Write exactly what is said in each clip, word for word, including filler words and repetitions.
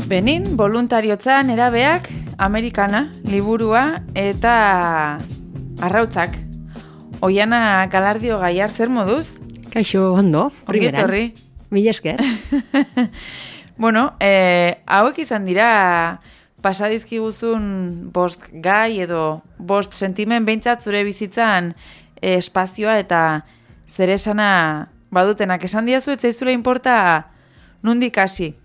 Benin, voluntariotza nerabeak, Amerikana, liburua eta arrautzak. Oiana Galardio Gaiar, zer moduz? Kaixo, ondo, primeran. Horri. Mila esker. Bueno, eh, hauek izan dira pasadizkiguzun bost gai edo bost sentimen behintzat zure bizitzan eh, espazioa eta zeresana badutenak. Esan diazu, ez zaizula inporta nundik hasi.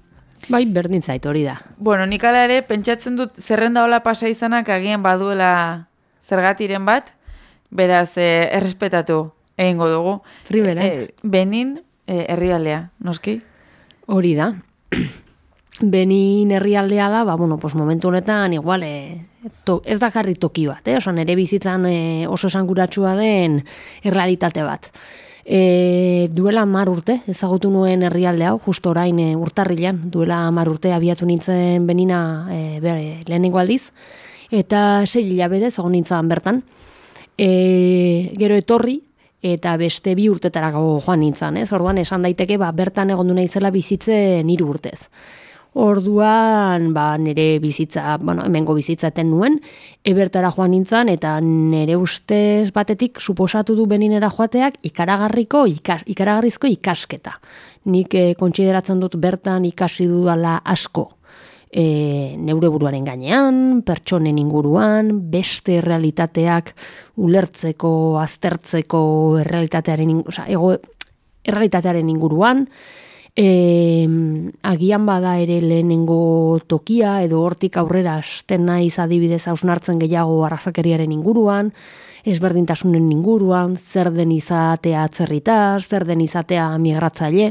Bai, berdin zait hori da. Bueno, nik ala ere, pentsatzen dut zerrenda hola pasa izanak agian baduela zergatiren bat, beraz, eh, errespetatu egingo dugu. Primera. Eh, Benin, eh, herrialdea, noski? Hori da. Benin herrialdea da, ba, bueno, pues momentu honetan, igual, eh, to, ez da jarri toki bat, eh? Oso nere bizitzan eh, oso esanguratsua den errealitate bat. E, duela hamar urte, ezagutu nuen herrialde hau, justo orain e, urtarrilan, duela hamar urte abiatu nintzen Benina e, bere, lehenengo aldiz, eta sei hilabete egon nintzen bertan. E, gero etorri, eta beste bi urtetarako joan nintzen, ez? Orduan esan daiteke, ba, bertan egon du naizela bizitzen hiru urtez. Orduan, ba, nire bizitza, bueno, hemengo bizitza eten nuen, ebertara joan nintzen, eta nire ustez batetik suposatu du Beninera joateak ikaragarriko, ikas, ikaragarrizko ikasketa. Nik eh, kontsideratzen dut bertan ikasi dudala asko. E, neure buruaren gainean, pertsonen inguruan, beste realitateak ulertzeko, aztertzeko errealitatearen, oza, ego, errealitatearen inguruan, E, agian bada ere lehenengo tokia edo hortik aurrera hasten naiz adibidez hausnartzen gehiago arrazakeriaren inguruan, ezberdintasunen inguruan, zer den izatea atzerritar, zer den izatea migratzaile,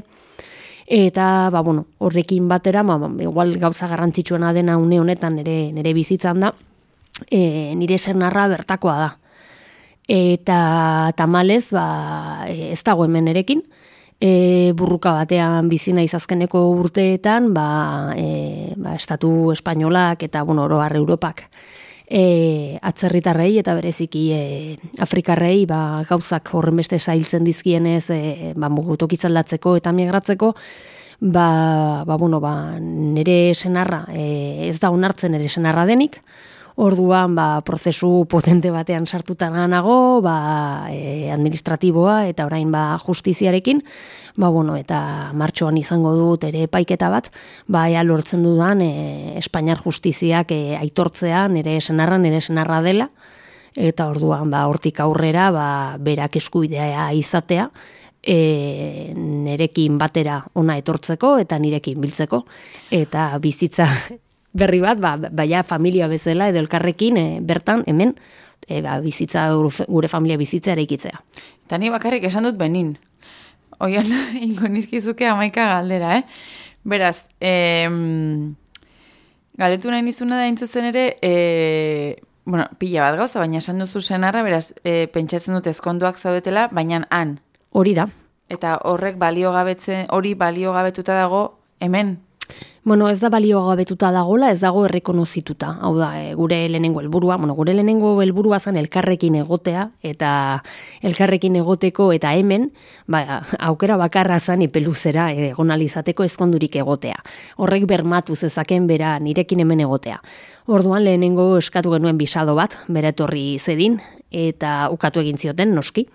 eta ba, bueno, horrekin batera, ba, igual gauza garrantzitsuena dena une honetan nire, nire bizitzan da, e, nire senarra bertakoa da. Eta tamalez, ba, ez dago hemen erekin, E, burruka batean bizina izazkeneko urteetan, ba, e, ba, estatu espainolak eta bueno, oro har Europak e, atzerritarrei eta bereziki e, Afrikarrei ba, gauzak horren beste zailtzen dizkienez e, ba, mugutokiz aldatzeko eta migratzeko, ba, ba, bueno, ba, nire senarra e, ez da onartzen nire senarra denik. Orduan, ba, prozesu potente batean sartuta nago, ba, e, administratiboa eta orain ba, justiziarekin, ba, bueno, eta martxoan izango dut ere epaiketa bat, ba, ea lortzen dudan e, Espainiar justiziak e, aitortzea nire senarra, nire senarra dela, eta orduan, ba, hortik aurrera, ba, berak eskubidea izatea, e, nerekin batera ona etortzeko eta nirekin biltzeko, eta bizitza berri bat, ba, baina familia bezala edo elkarrekin e, bertan, hemen, e, ba, bizitza, gure familia bizitza eraikitzea. Eta ni bakarrik esan dut Benin. Oian, ingo nizkizuke amaika galdera, eh? Beraz, eh, galdetu nahi nizuna da intzuzen ere, eh, bueno, pila bat gauza, baina esan duzu senarra, beraz, eh, pentsatzen dut ezkonduak zaudetela, baina han. Hori da. Eta horrek baliogabetzen, hori baliogabetuta dago hemen. Bueno, ez da baliogabetuta dagola, ez dago errekonozituta. Hau da, e, gure lehenengo helburua, bueno, gure lehenengo helburua zen elkarrekin egotea, eta elkarrekin egoteko eta hemen, ba, aukera bakarra zen epeluzera egon alizateko ezkondurik egotea. Horrek bermatu zezaken bera nirekin hemen egotea. Orduan lehenengo eskatu genuen bisado bat, bere etorri zedin, eta ukatu egin zioten, noski.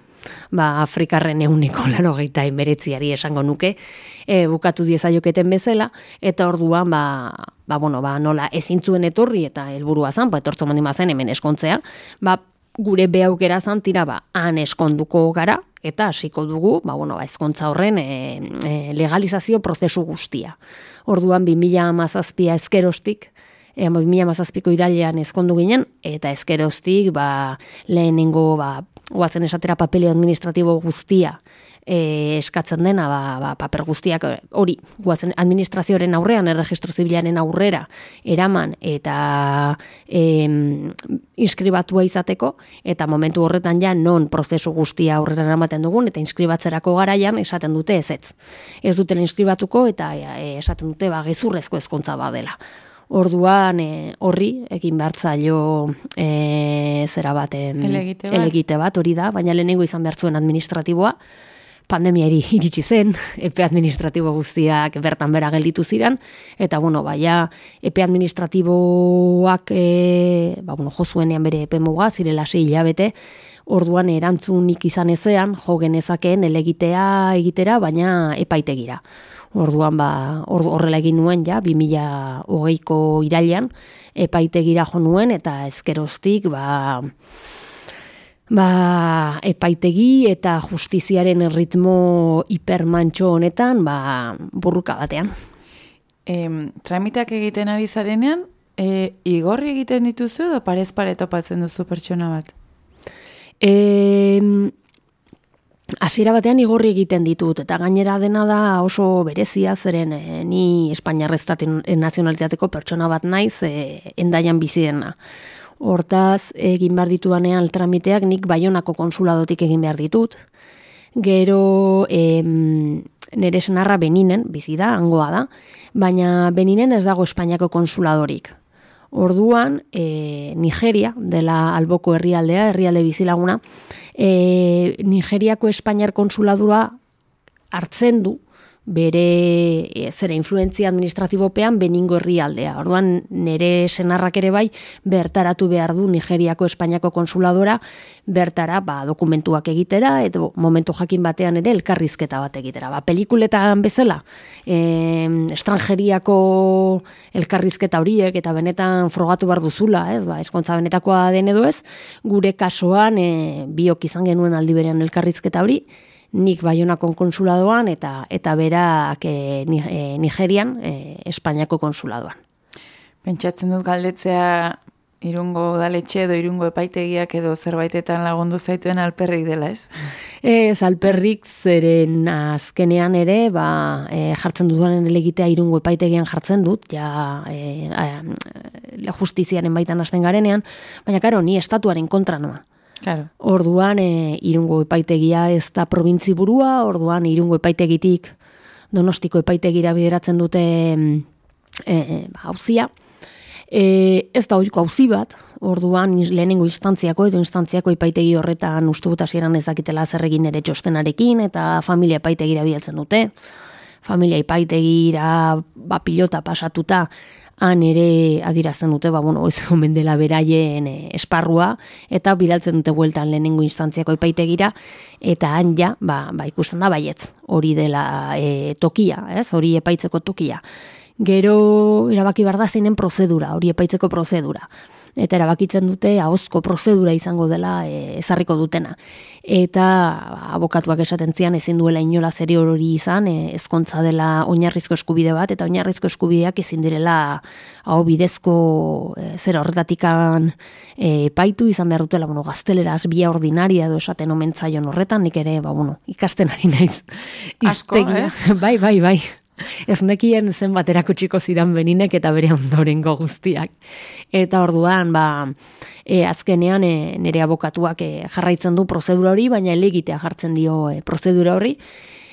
Ba, Afrikarren euneko laro geita emeretziari esango nuke, e, bukatu diezaioketen bezala, eta orduan, ba, ba, bueno, ba, nola ezintzuen etorri eta helburua zan, ba, etortzen mandi mazen hemen eskontzea, ba, gure behaukera zan tira, ba, han eskonduko gara, eta hasiko dugu, ba, bueno, ba, eskontza horren e, e, legalizazio prozesu guztia. Orduan, bi mila hamazazpia ezkerostik, e, bi mila hamazazpiko irailean eskondu ginen, eta ezkerostik, ba, lehenengo, ba, guazen esatera papeleo administratibo guztia e, eskatzen dena, ba, ba, paper guztiak hori, guazen administrazioaren aurrean, erregistro zibilaren aurrera eraman eta e, inskribatua izateko, eta momentu horretan ja non prozesu guztia aurrera eramaten dugun, eta inskribatzerako garaian esaten dute ez ez. Ez dutela inskribatuko eta e, esaten dute ba, gezurrezko ezkontza badela. Orduan e, horri ekin behartzaio e, zera baten elegite bat. elegite bat hori da, baina lehenengo izan behar zuen administratiboa, pandemiari iritsi zen, epe administratibo guztiak bertan bera gelditu ziren, eta bueno, baia epe administratiboak e, ba, bueno, jo zuenean bere epe muga, zirela sei hilabete, orduan erantzunik izan ezean, jo genezakeen elegitea egitera, baina epaitegira. Orduan ba, horrela egin nuen ja, bi mila hogeiko irailean, epaitegira jo nuen, eta ezkeroztik, ba, ba, epaitegi eta justiziaren ritmo hipermantxo honetan, ba, burruka batean. E, tramiteak egiten ari zarenean, e, igorri egiten dituzu edo parez pare topatzen duzu pertsona bat? E, hasiera batean igorri egiten ditut, eta gainera dena da oso berezia, zeren e, ni Espainiar nazionalitateko pertsona bat naiz, e, Hendaian bizi dena. Hortaz, egin behar ditudanean tramiteak nik Baionako konsuladotik egin behar ditut. Gero, em, nire senarra Beninen, bizi da, hangoa da, baina Beninen ez dago Espainiako konsuladorik. Orduan, e, Nigeria, dela alboko herrialdea, herrialde bizilaguna, e, Nigeriako Espainiar konsuladura hartzen du, bere e, zera influentzia administratibopean Beningo herrialdea. Orduan, nire senarrak ere bai, bertaratu behar du Nigeriako Espainiako konsuladora, bertara ba, dokumentuak egitera, eta momentu jakin batean ere elkarrizketa bat egitera. Ba, pelikuletan bezala, e, estrangeriako elkarrizketa horiek, eta benetan frogatu behar duzula, ez, ba, eskontza benetakoa den edo ez, gure kasuan e, biok izan genuen aldi berean elkarrizketa hori, nik Baionako konsuladoan eta eta berak e, Nigerian, e, Espainiako konsuladoan. Pentsatzen dut galdetzea Irungo udaletxe edo Irungo epaitegiak edo zerbaitetan lagundu zaituen alperrik dela, ez? Ez, alperrik zeren azkenean ere, ba, e, jartzen dudanen elegitea Irungo epaitegian jartzen dut, ja e, e, justiziaren baitan hasten garenean, baina karo, ni estatuaren kontra noa. Claro. Orduan, e, Irungo epaitegia ez da probintzi burua, orduan Irungo epaitegitik Donostiko epaitegira bideratzen dute e, ba, auzia. E, ez da ohiko auzi bat, orduan lehenengo instantziako edo instantziako epaitegi horretan uste dut hasieran ez dakitela zer egin ere txostenarekin, eta familia epaitegira bidaltzen dute. Familia epaitegira ba, pilota pasatuta, han ere adirazten dute, ba, bueno, ez omen dela beraien e, esparrua, eta bidaltzen dute bueltan lehenengo instantziako epaitegira, eta han ja, ba, ba, ikusten da baietz, hori dela e, tokia, ez, hori epaitzeko tokia. Gero erabaki behar da zeinen prozedura, hori epaitzeko prozedura. Eta erabakitzen dute ahozko prozedura izango dela e, ezarriko dutena. Eta abokatuak esaten zian ezin duela inola zeri hori izan, e, ezkontza dela oinarrizko eskubide bat, eta oinarrizko eskubideak ezin direla hau bidezko e, zera horretatikan e, epaitu izan behar dutela, bueno, gazteleraz bia ordinaria edo esaten omen zaion horretan, nik ere, ba, bueno, ikasten ari naiz. Asko, ez? Bai, bai, bai. Ez nekien zenbat erakutsiko zidan Beninek eta bere ondorengo guztiak. Eta orduan, ba, e, azkenean e, nire abokatuak e, jarraitzen du prozedura hori, baina elegitea jartzen dio e, prozedura horri.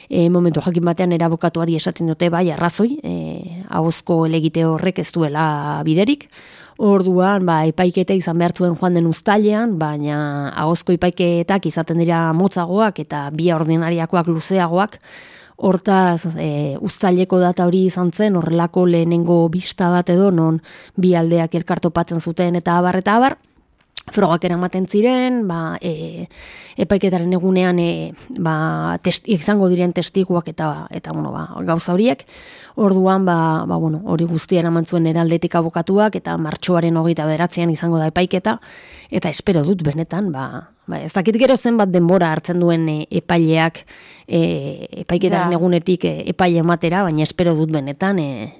E, momentu jakin batean nire abokatuari esaten dute bai arrazoi, e, ahozko elegite horrek ez duela biderik. Orduan, ba, epaiketa izan behar zuen joan den uztailean, baina ahozko epaiketak izaten dira motzagoak eta bia ordinariakoak luzeagoak. Hortaz, e, uztaileko data hori izan zen, horrelako lehenengo bista bat edo, non bi aldeak elkartopatzen zuten eta abar eta abar, frogak eramaten ziren, ba, e, epaiketaren egunean e, ba, testi, izango diren testiguak eta, eta bueno, ba, gauza horiek. Orduan, ba, ba, bueno, hori guztia eraman zuen eraldetik abokatuak, eta martxoaren hogeita bederatzean izango da epaiketa, eta espero dut benetan, ba, ba, ez dakit gero zenbat denbora hartzen duen e, epaileak e, epaiketaren ja. egunetik e, epaile ematera, baina espero dut benetan, e,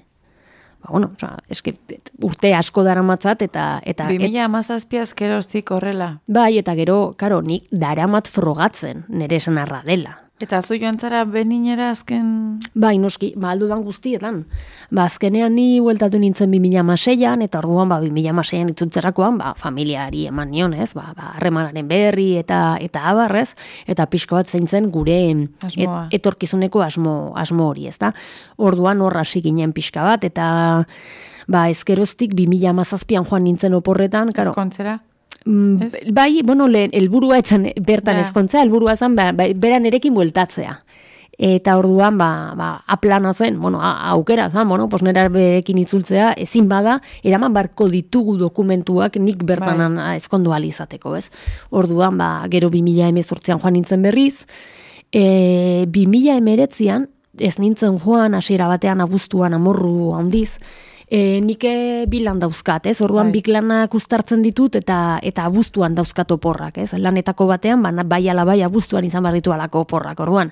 ba, bueno, oza, eske, urte asko daramatzat, eta... eta bi mila hamazazpi azkeroztik horrela. Bai, eta gero, karo, nik daramat frogatzen nire senarra dela. Eta zu joan zara Beninera azken... Bai, noski, ba, aldudan guztietan. Ba, azkenean ni hueltatu nintzen bi mila hamaseian, eta orduan, ba, bi mila hamaseian itzultzerakoan, ba, familiari eman nion, ez, ba, ba, harremanaren berri eta eta abarrez, eta pixko bat zein zen gure et, etorkizuneko asmo, asmo hori, ez da. Orduan horra hasi ginen pixka bat, eta ba, ezkeroztik bi mila hamazazpian joan nintzen oporretan, karo. Ezkontzera? Ez? Bai, bueno, lehen, elburua etzen bertan Ja. ezkontza, elburua zen, ba, ba, beran erekin bueltatzea. Eta orduan, ba, ba, aplana zen, bueno, a, aukera zen, bueno, pues nera berekin itzultzea, ezin bada, eraman barko ditugu dokumentuak nik bertanan bai. ezkondu alizateko, ez? Orduan, ba, gero bi mila hemezortzian joan nintzen berriz, e, bi mila hemeretzian, ez nintzen joan, hasiera batean abuztuan amorru handiz, E, nik bilan dauzkat, ez? Orduan bai. bik lanak uztartzen ditut eta eta abuztuan dauzkat oporrak, ez? Lanetako batean, ba, bai ala bai abuztuan izan behar ditu alako oporrak. Orduan,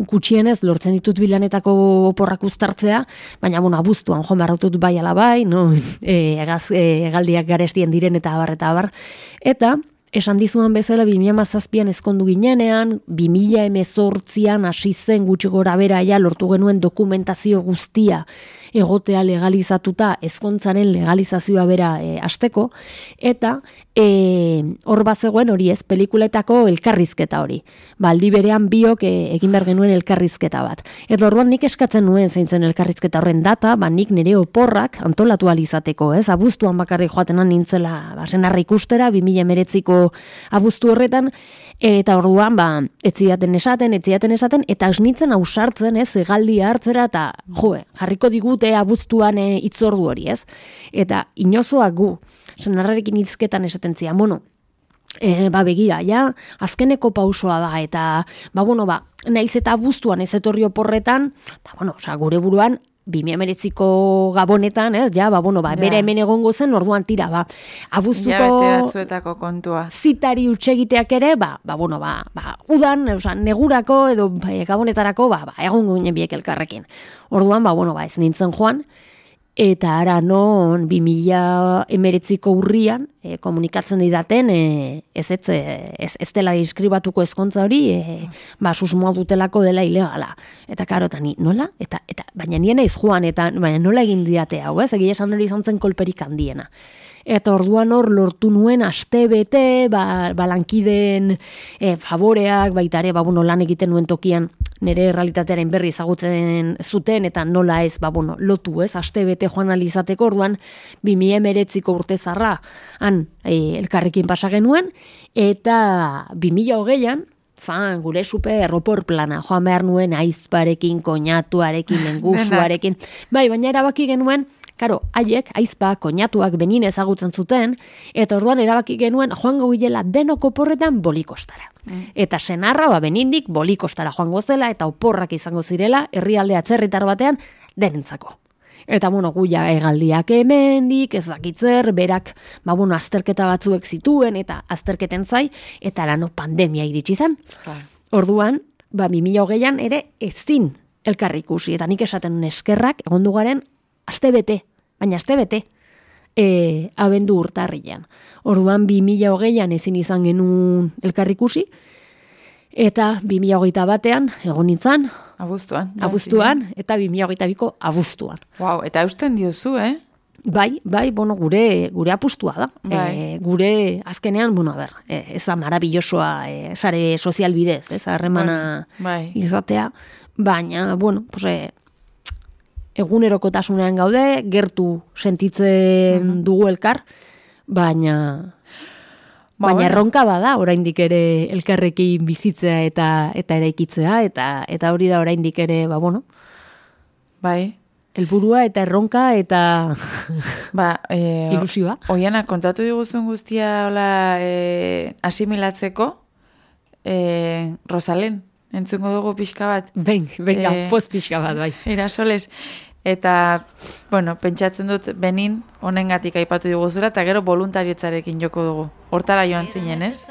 gutxienez lortzen ditut bilanetako oporrak uztartzea, baina, bueno, abuztuan joan behar dut bai ala bai, no? E, egaz, e, egaldiak garestien diren eta abar eta abar. Eta, esan dizuan bezala, bi mila hamazazpian ezkondu ginenean, bi mila hemezortzian hasi zen gutxi gora bera ja lortu genuen dokumentazio guztia egotea legalizatuta, ezkontzaren legalizazioa bera e, asteko, eta e, hor bazegoen hori ez, pelikuletako elkarrizketa hori. Ba, aldi berean biok e, egin behar genuen elkarrizketa bat. Eta orduan nik eskatzen nuen zeintzen elkarrizketa horren data, ba, nik nire oporrak antolatu alizateko, ez? Abuztuan bakarrik joatenan nintzela, ba, senarra ikustera, bi mila hemeretziko abuztu horretan, eta orduan, ba, etzidaten esaten, etzidaten esaten, eta esnitzen ausartzen, ez, egaldia hartzera, eta, joe, jarriko digute abuztuan e, itzordu hori, ez? Eta inozoak gu, senarrarekin hizketan esaten zian, bueno, e, ba, begira, ja, azkeneko pausoa da, eta, ba, bueno, ba, naiz eta abuztuan ez etorri oporretan, ba, bueno, oza, gure buruan, bi mila hemeretziko gabonetan, ez, ja, ba, bueno, ba, ja. bere hemen egongo zen, orduan tira, ba, abuztuko Hilabete batzuetako kontua. zitari utxegiteak ere, ba, ba, bueno, ba, ba, udan, oza, negurako edo ba, gabonetarako, ba, ba, egon ginen biek elkarrekin. Orduan, ba, bueno, ba, ez nintzen joan, eta ara non bi mila hemeretziko urrian e, komunikatzen didaten e, ez, ez, ez, ez dela inskribatuko ezkontza hori e, ba, susmoa dutelako dela ilegala. Eta karo, eta ni nola? Eta, eta, baina nien naiz joan, eta baina nola egin didate hau, ez? Egia esan hori izan zen kolperik handiena. Eta orduan hor lortu nuen aste bete, ba, ba lankideen e, favoreak, baita ere, ba, bueno, lan egiten nuen tokian nire realitatearen berri ezagutzen zuten, eta nola ez, ba, bueno, lotu ez, aste bete joan alizateko, orduan bi mila hemeretziko urte zarra han e, elkarrekin pasa genuen, eta bi mila hogeian, zan, gure super opor plana, joan behar nuen aizparekin, koñatuarekin, lengusuarekin, bai, baina erabaki genuen, karo, haiek, aizpa, koñatuak benin ezagutzen zuten, eta orduan erabaki genuen joango gilela denok oporretan bolikostara. Mm. Eta senarra, ba, benindik bolikostara joango zela, eta oporrak izango zirela, herrialde atzerritar batean, denentzako. Eta, bueno, guia egaldiak hemendik, ezakitzer, berak, ba, bueno, azterketa batzuek zituen, eta azterketen zai, eta arano pandemia iritsi zen. Bai. Orduan, ba, bi mila hogeian ere ezin elkarri ikusi, eta nik esaten eskerrak, egon dugaren, aste bete, baina aste bete, e, abendu urtarrian. Orduan, bi mila hogeian ezin izan genuen elkarri ikusi, eta bi mila hogeita batean, egon nintzen, Abuztuan. abuztuan, eta bi mila hogeita biko abuztuan. Wow, eta eusten diozu, eh? Bai, bai, bueno, gure, gure apustua da. Bai. E, gure azkenean, bueno, a ber, e, ez da marabillosoa e, sare sozial bidez, ez, harremana bai. izatea, baina, bueno, pues, e, egunerokotasunean gaude, gertu sentitzen uh-huh. dugu elkar, baina... Ba, Baina bueno. erronka bada, oraindik ere elkarrekin bizitzea eta eta eraikitzea, eta eta hori da oraindik ere, ba, bueno, Bai. helburua eta erronka eta Ba, eh, ilusioa. Oiana, kontatu diguzun guztia hola eh, asimilatzeko, eh, Rosalen, entzungo dugu pixka bat. Ben, venga, Eh, poz pixka bat, bai. Irasoles. Eta, bueno, pentsatzen dut benin honengatik aipatu diguzura, eta gero voluntariotzarekin joko dugu. Hortara joan zinen, ez?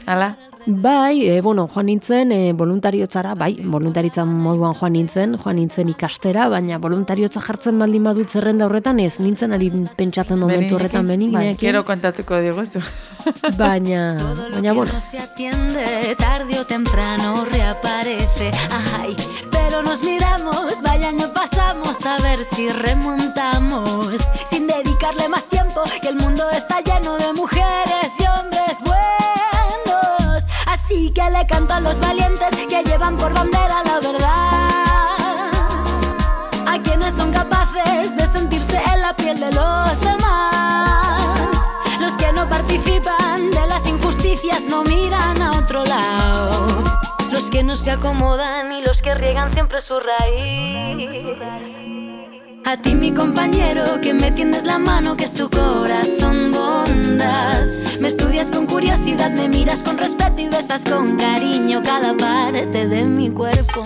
Hala? Bai, e, bueno, joan nintzen, e, voluntariotzara, bai, voluntaritzan moduan joan nintzen, joan nintzen ikastera, baina voluntariotza jartzen baldin badut zerrenda horretan, ez nintzen ari pentsatzen momentu horretan Bai, beninekin. gero kontatuko diguzu. Baina, baina, bueno. No se atiende, tarde o temprano reaparece. Ay, pero nos miramos, vaya año pasamos, a ver si remontamos. Sin dedicarle más tiempo, que el mundo está lleno de mujeres y hombres buenos. Así que le canto a los valientes que llevan por bandera la verdad. A quienes son capaces de sentirse en la piel de los demás. Los que no participan participan de las injusticias no miran a otro lado. Los que no se acomodan y los que riegan siempre su raíz. A ti mi compañero que me tiendes la mano, que es tu corazón bondad. Me estudias con curiosidad, me miras con respeto y besas con cariño cada parte de mi cuerpo.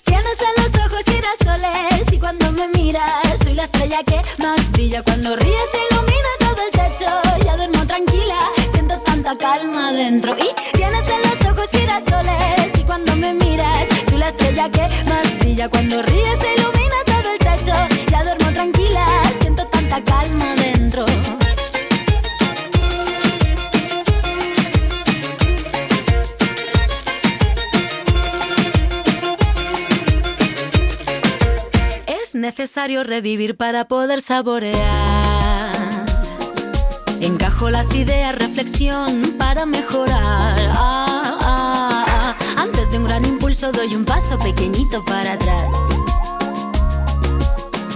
Tienes en los ojos girasoles y cuando me miras soy la estrella que más brilla. Cuando ríes se ilumina todo el techo, ya duermo tranquila, siento tanta calma dentro. Y tienes en los ojos girasoles y cuando me miras soy la estrella que más brilla. Cuando ríes se ilumina todo el techo, ya duermo tranquila, siento tanta calma dentro. Es necesario revivir para poder saborear. Encajo las ideas, reflexión para mejorar. Ah, ah, ah. Antes de un gran impulso doy un paso pequeñito para atrás.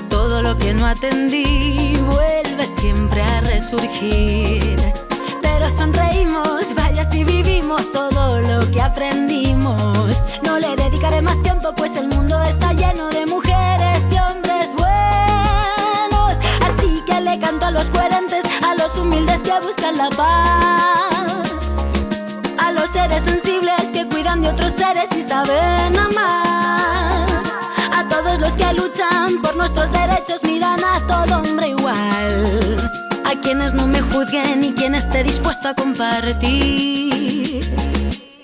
Todo lo que no atendí vuelve siempre a resurgir. Pero sonreímos, vaya si vivimos todo lo que aprendimos. No le dedicaré más tiempo pues el mundo está lleno de mujeres y hombres buenos. Así que le canto a los coherentes, a los humildes que buscan la paz, a los seres sensibles que cuidan de otros seres y saben amar, a todos los que luchan por nuestros derechos, miran a todo hombre igual, a quienes no me juzguen y quien esté dispuesto a compartir.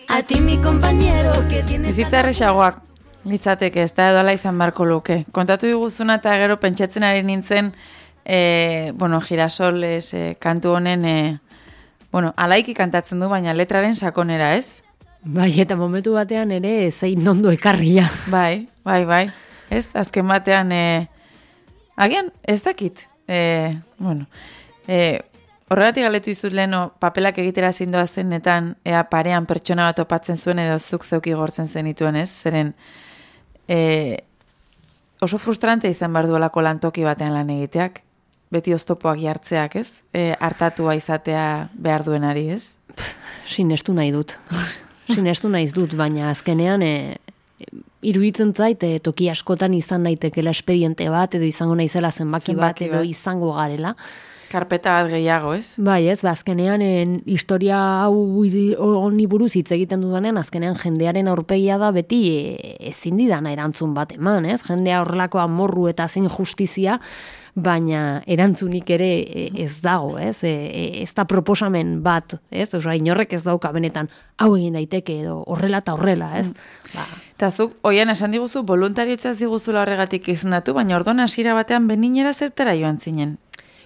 A ti mi compañero que tienes... Bizitza erresagoak litzateke, ez da edo ala izan barko luke. Kontatu diguzuna eta gero pentsatzen ari nintzen, e, bueno, Girasoles e, kantu honen, e, bueno, alaiki kantatzen du, baina letraren sakonera, ez? Bai, eta momentu batean ere zein ondo ekarria. Bai, bai, bai. Ez, azken batean, e, agian, ez dakit. E, bueno, e, horregatik galetu izut leheno papelak egitera zindoa zenetan, ea parean pertsona bat opatzen zuen edo zuk zeuki gortzen zenituen, ez? Zeren, e, oso frustrante izan behar duelako lantoki batean lan egiteak, beti oztopoak jartzeak, ez? E, hartatua izatea behar duenari, ez? Sinestu nahi dut. Sinestu naiz dut, baina azkenean e, iruditzen zait e, toki askotan izan daitekela espediente bat, edo izango naizela zenbaki, zenbaki bat, edo bat. Izango garela. Karpeta bat gehiago, ez? Bai, ez, ba, azkenean en, historia hau honi buruz hitz egiten dudanean, azkenean jendearen aurpegia da beti e, ezin didana erantzun bat eman, ez? Jendea horrelako amorru eta zein justizia, baina erantzunik ere ez dago, ez? E, ez da proposamen bat, ez? Osa, inorrek ez dauka benetan hau egin daiteke edo horrela eta horrela, ez? Mm. Ba. Eta zuk, oian esan diguzu, voluntariotza diguzula horregatik izendatu, baina orduan hasiera batean beninera zertara joan zinen?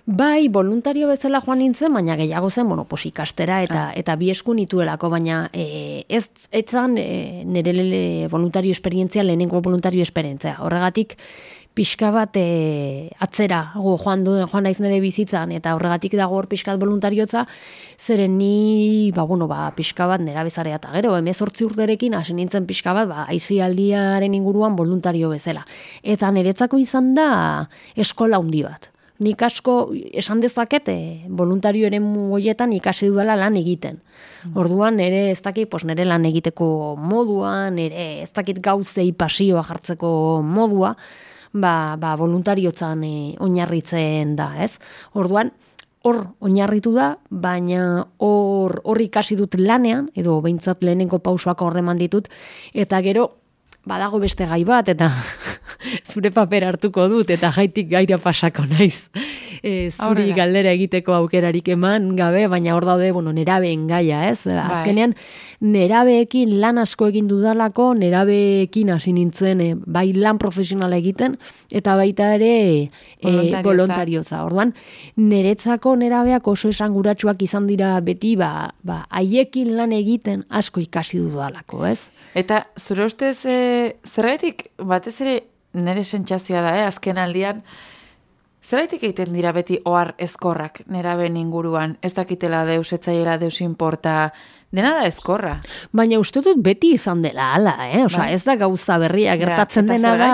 Bai, voluntario bezala joan nintzen, baina gehiago zen, bueno, pues ikastera eta ah. eta bi esku nituelako, baina e, ez etzan e, nire voluntario esperientzia, lehenengo voluntario esperientzia. Horregatik, pixka bat e, atzera go, joan, du, joan naiz nire bizitzan, eta horregatik dago hor pixka bat voluntariotza, zeren ni, ba, bueno, ba, pixka bat nera bezarea eta gero, hemezortzi urterekin hasi nintzen pixka bat, ba, aizialdiaren inguruan voluntario bezala. Eta niretzako izan da eskola handi bat. Nik asko esan dezakete voluntario ere hoietan ikasi dudala lan egiten. Orduan ere ez dakit pues nere lan egiteko moduan, ere ez dakit gauzei pasioa jartzeko modua, ba, ba voluntariotzan e, oinarritzen da, ez? Orduan hor oinarritu da, baina hor hor ikasi dut lanean, edo behintzat lehenengo pausoak horreman ditut, eta gero badago beste gai bat, eta zure paper hartuko dut, eta jaitik gaira pasako naiz. E, zuri Aurrera. Galdera egiteko aukerarik eman gabe, baina hor daude, bueno, nerabeen gaia, ez? Bai. Azkenean, nerabeekin lan asko egin dudalako, nerabeekin hasi nintzen, e, bai lan profesionala egiten, eta baita ere e, volontariotza. Orduan, neretzako nerabeak oso esanguratsuak izan dira beti, ba, ba, haiekin lan egiten asko ikasi dudalako, ez? Eta zure ustez, e, zergaitik batez ere nire sentsazioa da, eh? Azken aldian, zergaitik egiten dira beti ohar eskorrak neraben inguruan, ez dakitela deus, etzaiela deus inporta, dena da eskorra. Baina uste dut beti izan dela ala, eh? Osa, ez da gauza berria gertatzen ja, dena da.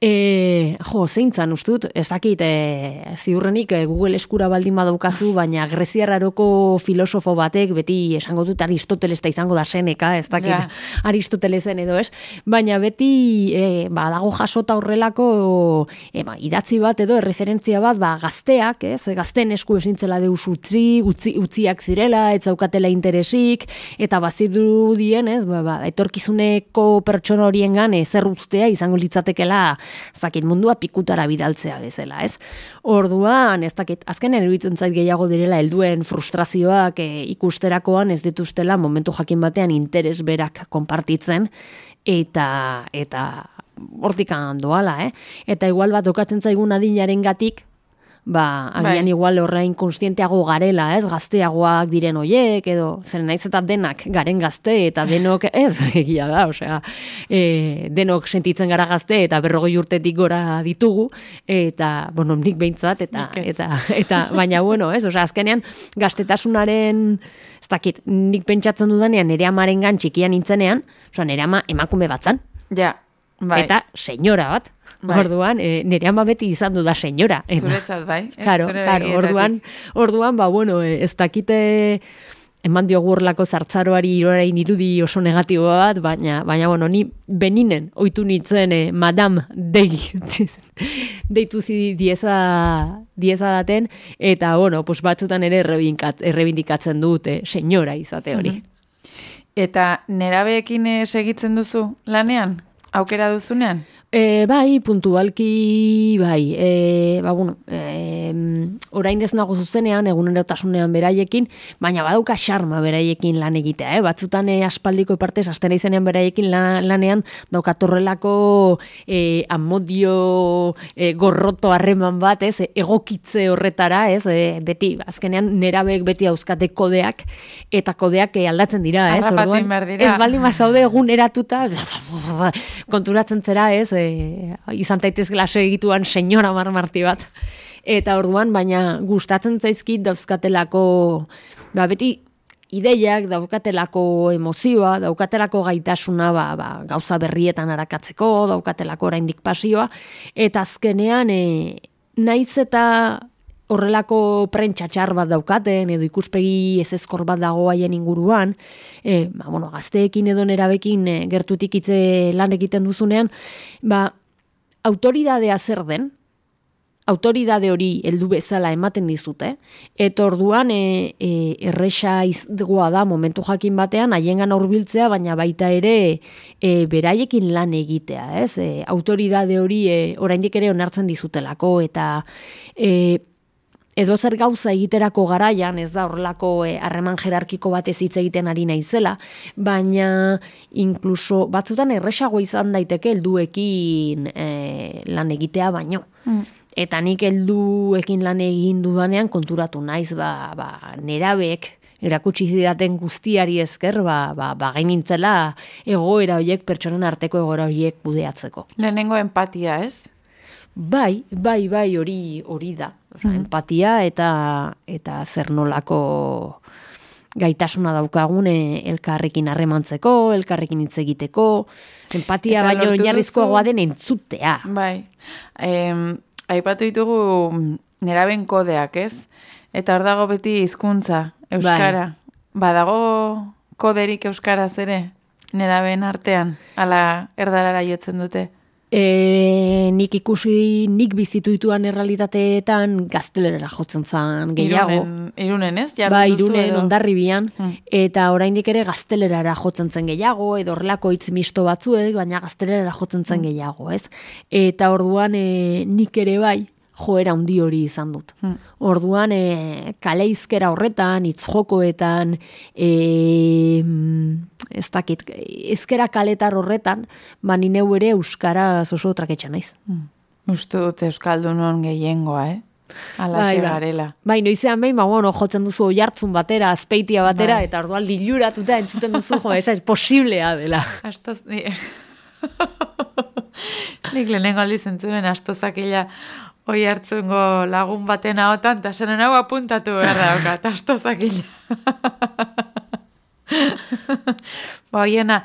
E, jo, zeintzan ustut, ez dakit, e, ziurrenik e, Google eskura baldin badaukazu, baina greziarraroko filosofo batek, beti esango dut Aristoteles eta izango da Seneka, ez dakit, ja. Aristotelesen edo ez, baina beti e, ba, dago jasota horrelako e, ba, idatzi bat edo erreferentzia bat, ba, gazteak, ez, gazten esku ezintzela deus utzi, utzi, utziak zirela, ez zaukatela interesik, eta bazidu dien, ez, ba, ba, etorkizuneko pertsona horien gane zer ustea izango litzatekela zakit mundua pikutara bidaltzea bezala, ez? Orduan, ez dakit, azken eruditzen zait gehiago direla helduen frustrazioak e, ikusterakoan ez dituztela momentu jakin batean interes berak konpartitzen eta eta hortikan doala, eh? Eta igual bat okatzen zaigun adinaren gatik, ba, agian bai. Igual horrein konstienteago garela, ez, gazteagoak diren hoiek, edo, zer naiz eta denak garen gazte, eta denok, ez, egia da, osea, e, denok sentitzen gara gazte, eta berrogei urtetik gora ditugu, eta, bueno, nik behintzat, eta, eta, eta, baina, bueno, ez, osea, azkenean, gaztetasunaren, ez dakit, nik pentsatzen dudanean, nere amaren gan txikian nintzenean, osea, nere ama emakume batzan, ja, bai. Eta senyora bat, bai. Orduan, e, nire ama beti izan du da senyora. Zuretzat, bai? Ez claro, zure claro, orduan, orduan, ba, bueno, ez dakite eman diogurlako zartzaroari orain irudi oso negatiboa bat, baina, baina bueno, ni beninen oitu nintzen eh, madame dei, deitu zi dieza, dieza daten, eta, bueno, pues batzutan ere errebindikatzen dut eh, senyora izate hori. Mm-hmm. Eta nerabeekin eh, segitzen duzu lanean? Aukera duzunean? E, bai, puntualki, bai, e, ba, bueno, e, orain ez nago zuzenean, egunerotasunean beraiekin, baina badauka xarma beraiekin lan egitea, eh? Batzutan e, aspaldiko partez, astena izenean beraiekin lan, lanean, daukatorrelako e, amodio e, gorroto harreman bat, ez, egokitze horretara, ez, e, beti, azkenean nerabek beti hauzkate kodeak, eta kodeak e, aldatzen dira, ez, orduan, ez baldin bazaude eguneratuta, konturatzen zera, ez, e, izan taitez glase egituan senyora marmarti bat. Eta orduan, baina gustatzen zaizkit dauzkatelako, ba, beti ideiak, daukatelako emozioa, daukatelako gaitasuna ba, ba, gauza berrietan arakatzeko, daukatelako oraindik pasioa, eta azkenean, e, naiz eta horrelako prentxatxar bat daukaten, edo ikuspegi ezezkor bat dago haien inguruan, e, ba, bueno, gazteekin edo nerabekin e, gertutik hitze lan egiten duzunean, ba, autoridadea zer den, autoridade hori heldu bezala ematen dizute, eta orduan e, e, erresa izgoa da momentu jakin batean, haiengan hurbiltzea, baina baita ere e, beraiekin lan egitea, ez? E, autoridade hori e, oraindik ere onartzen dizutelako, eta e, edo zer gauza egiterako garaian, ez da horrelako harreman e, jerarkiko batez hitz egiten ari naizela, baina inkluso batzutan erresago izan daiteke helduekin e, lan egitea baino. Mm. Eta nik helduekin lan egin dudanean konturatu naiz, ba, ba, nerabek erakutsi zidaten guztiari esker, ba, ba, ba gainintzela egoera horiek, pertsonen arteko egoera horiek kudeatzeko. Lehenengo empatia, ez? Bai, bai, bai, hori hori da. Osa, mm. Empatia eta eta zer nolako gaitasuna daukagun elkarrekin harremantzeko, elkarrekin hitz egiteko, empatia baino oinarrizkoagoa den entzutea. Bai. Em, aipatu ditugu neraben kodeak, ez? Eta hor dago beti hizkuntza, euskara. Bai. Badago koderik euskaraz ere neraben artean, ala erdarara jotzen dute. E, nik ikusi, nik bizitu dituan errealitateetan gaztelerara jotzen zan gehiago. Irunen, irunen ez? Jardun ba, irunen ondarribian, hmm. eta oraindik ere gaztelerara jotzen zen gehiago, edo horrelako hitz misto batzuek, baina gaztelerara jotzen zen hmm. gehiago, ez? Eta orduan e, nik ere bai, joera handi hori izan dut. Hmm. Orduan, e, kale izkera horretan, hitz jokoetan, e, ez dakit, ezkera kaletar horretan, ba nineu ere euskara oso traketxan naiz. Hmm. Uste dut euskaldunon gehiengoa, eh? Ala bai, garela. Bai, noizean behin, ba, bueno, jotzen duzu oihartzun batera, azpeitia batera, bai. Eta orduan liluratuta entzuten duzu, jo, esa es posiblea dela. Astoz, ni... Nik lehenengo aldiz entzunen astozakila oi hartzungo lagun baten ahotan, eta zenen hau apuntatu behar daukat, astozakila. Ba, oiena,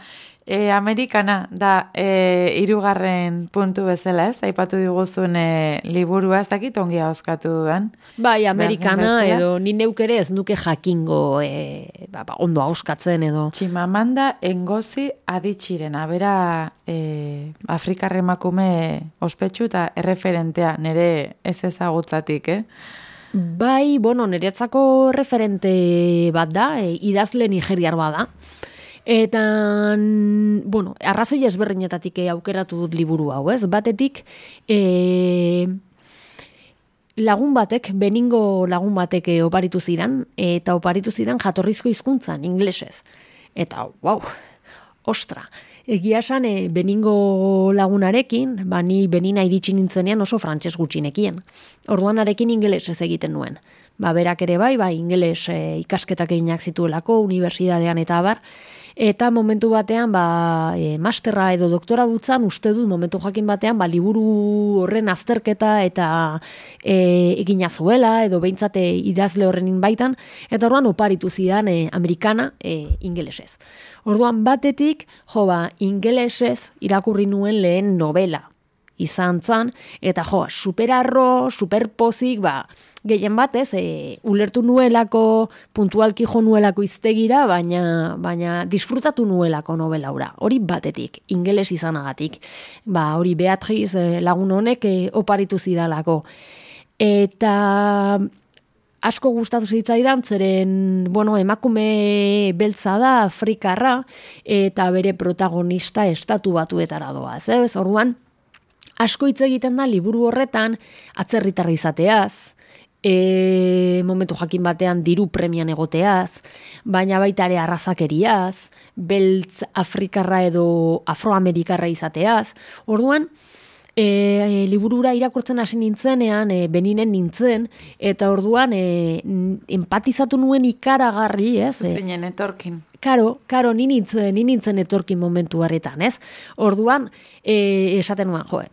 e, Amerikana da e, hirugarren puntu bezala, ez? Aipatu diguzun e, liburua, ez dakit ongi ahozkatu dudan. Bai, Amerikana edo ni neuk ere ez nuke jakingo e, ba, ba, ondo ahoskatzen edo. Chimamanda Ngozi Adichirena, bera e, Afrikar emakume ospetsu eta erreferentea, nire ez ezagutzatik, eh? Bai, bueno, niretzako referente bat da, e, idazle nigeriar bat da. Eta, bueno, arrazoi ezberdinetatik aukeratu dut liburu hau, ez? Batetik, e, lagun batek, Beningo lagun batek oparitu zidan, eta oparitu zidan jatorrizko hizkuntzan, inglesez. Eta, wow, ostra, egia esan, e, Beningo lagunarekin, ba, ni Benina iritsi nintzenean oso frantses gutxinekien. Orduan arekin ingelesez egiten nuen. Ba, berak ere bai, ba, ingeles e, ikasketak eginak zituelako, unibertsitatean eta abar, eta momentu batean, ba, e, masterra edo doktora dutzan, uste dut momentu jakin batean, ba, liburu horren azterketa eta e, egina zuela, edo behintzate idazle horren baitan, eta orduan oparitu zidan e, Amerikana e, ingelesez. Orduan batetik, jo, ba, ingelesez irakurri nuen lehen novela izan zan, eta jo, superarro, superpozik, ba, gehien batez, e, ulertu nuelako, puntualki jo nuelako iztegira, baina, baina disfrutatu nuelako novelaura. Hori batetik, ingeles izanagatik. Ba, hori Beatriz e, lagun honek e, oparitu zidalako. Eta asko gustatu zitzaidan, zeren, bueno, emakume beltza da, Afrikarra, eta bere protagonista estatu batuetara doaz. Ez, orduan, asko hitz egiten da liburu horretan atzerritarra izateaz, e, momentu jakin batean diru premian egoteaz, baina baita ere arrazakeriaz, beltz Afrikarra edo afroamerikarra izateaz. Orduan, e, liburura irakurtzen hasi nintzenean, e, Beninen nintzen, eta orduan e, empatizatu nuen ikaragarri, ez? Zuzinen etorkin. Karo, karo, ni nintzen, ni nintzen etorkin momentu harretan, ez? Orduan, e, esaten nuen, jo,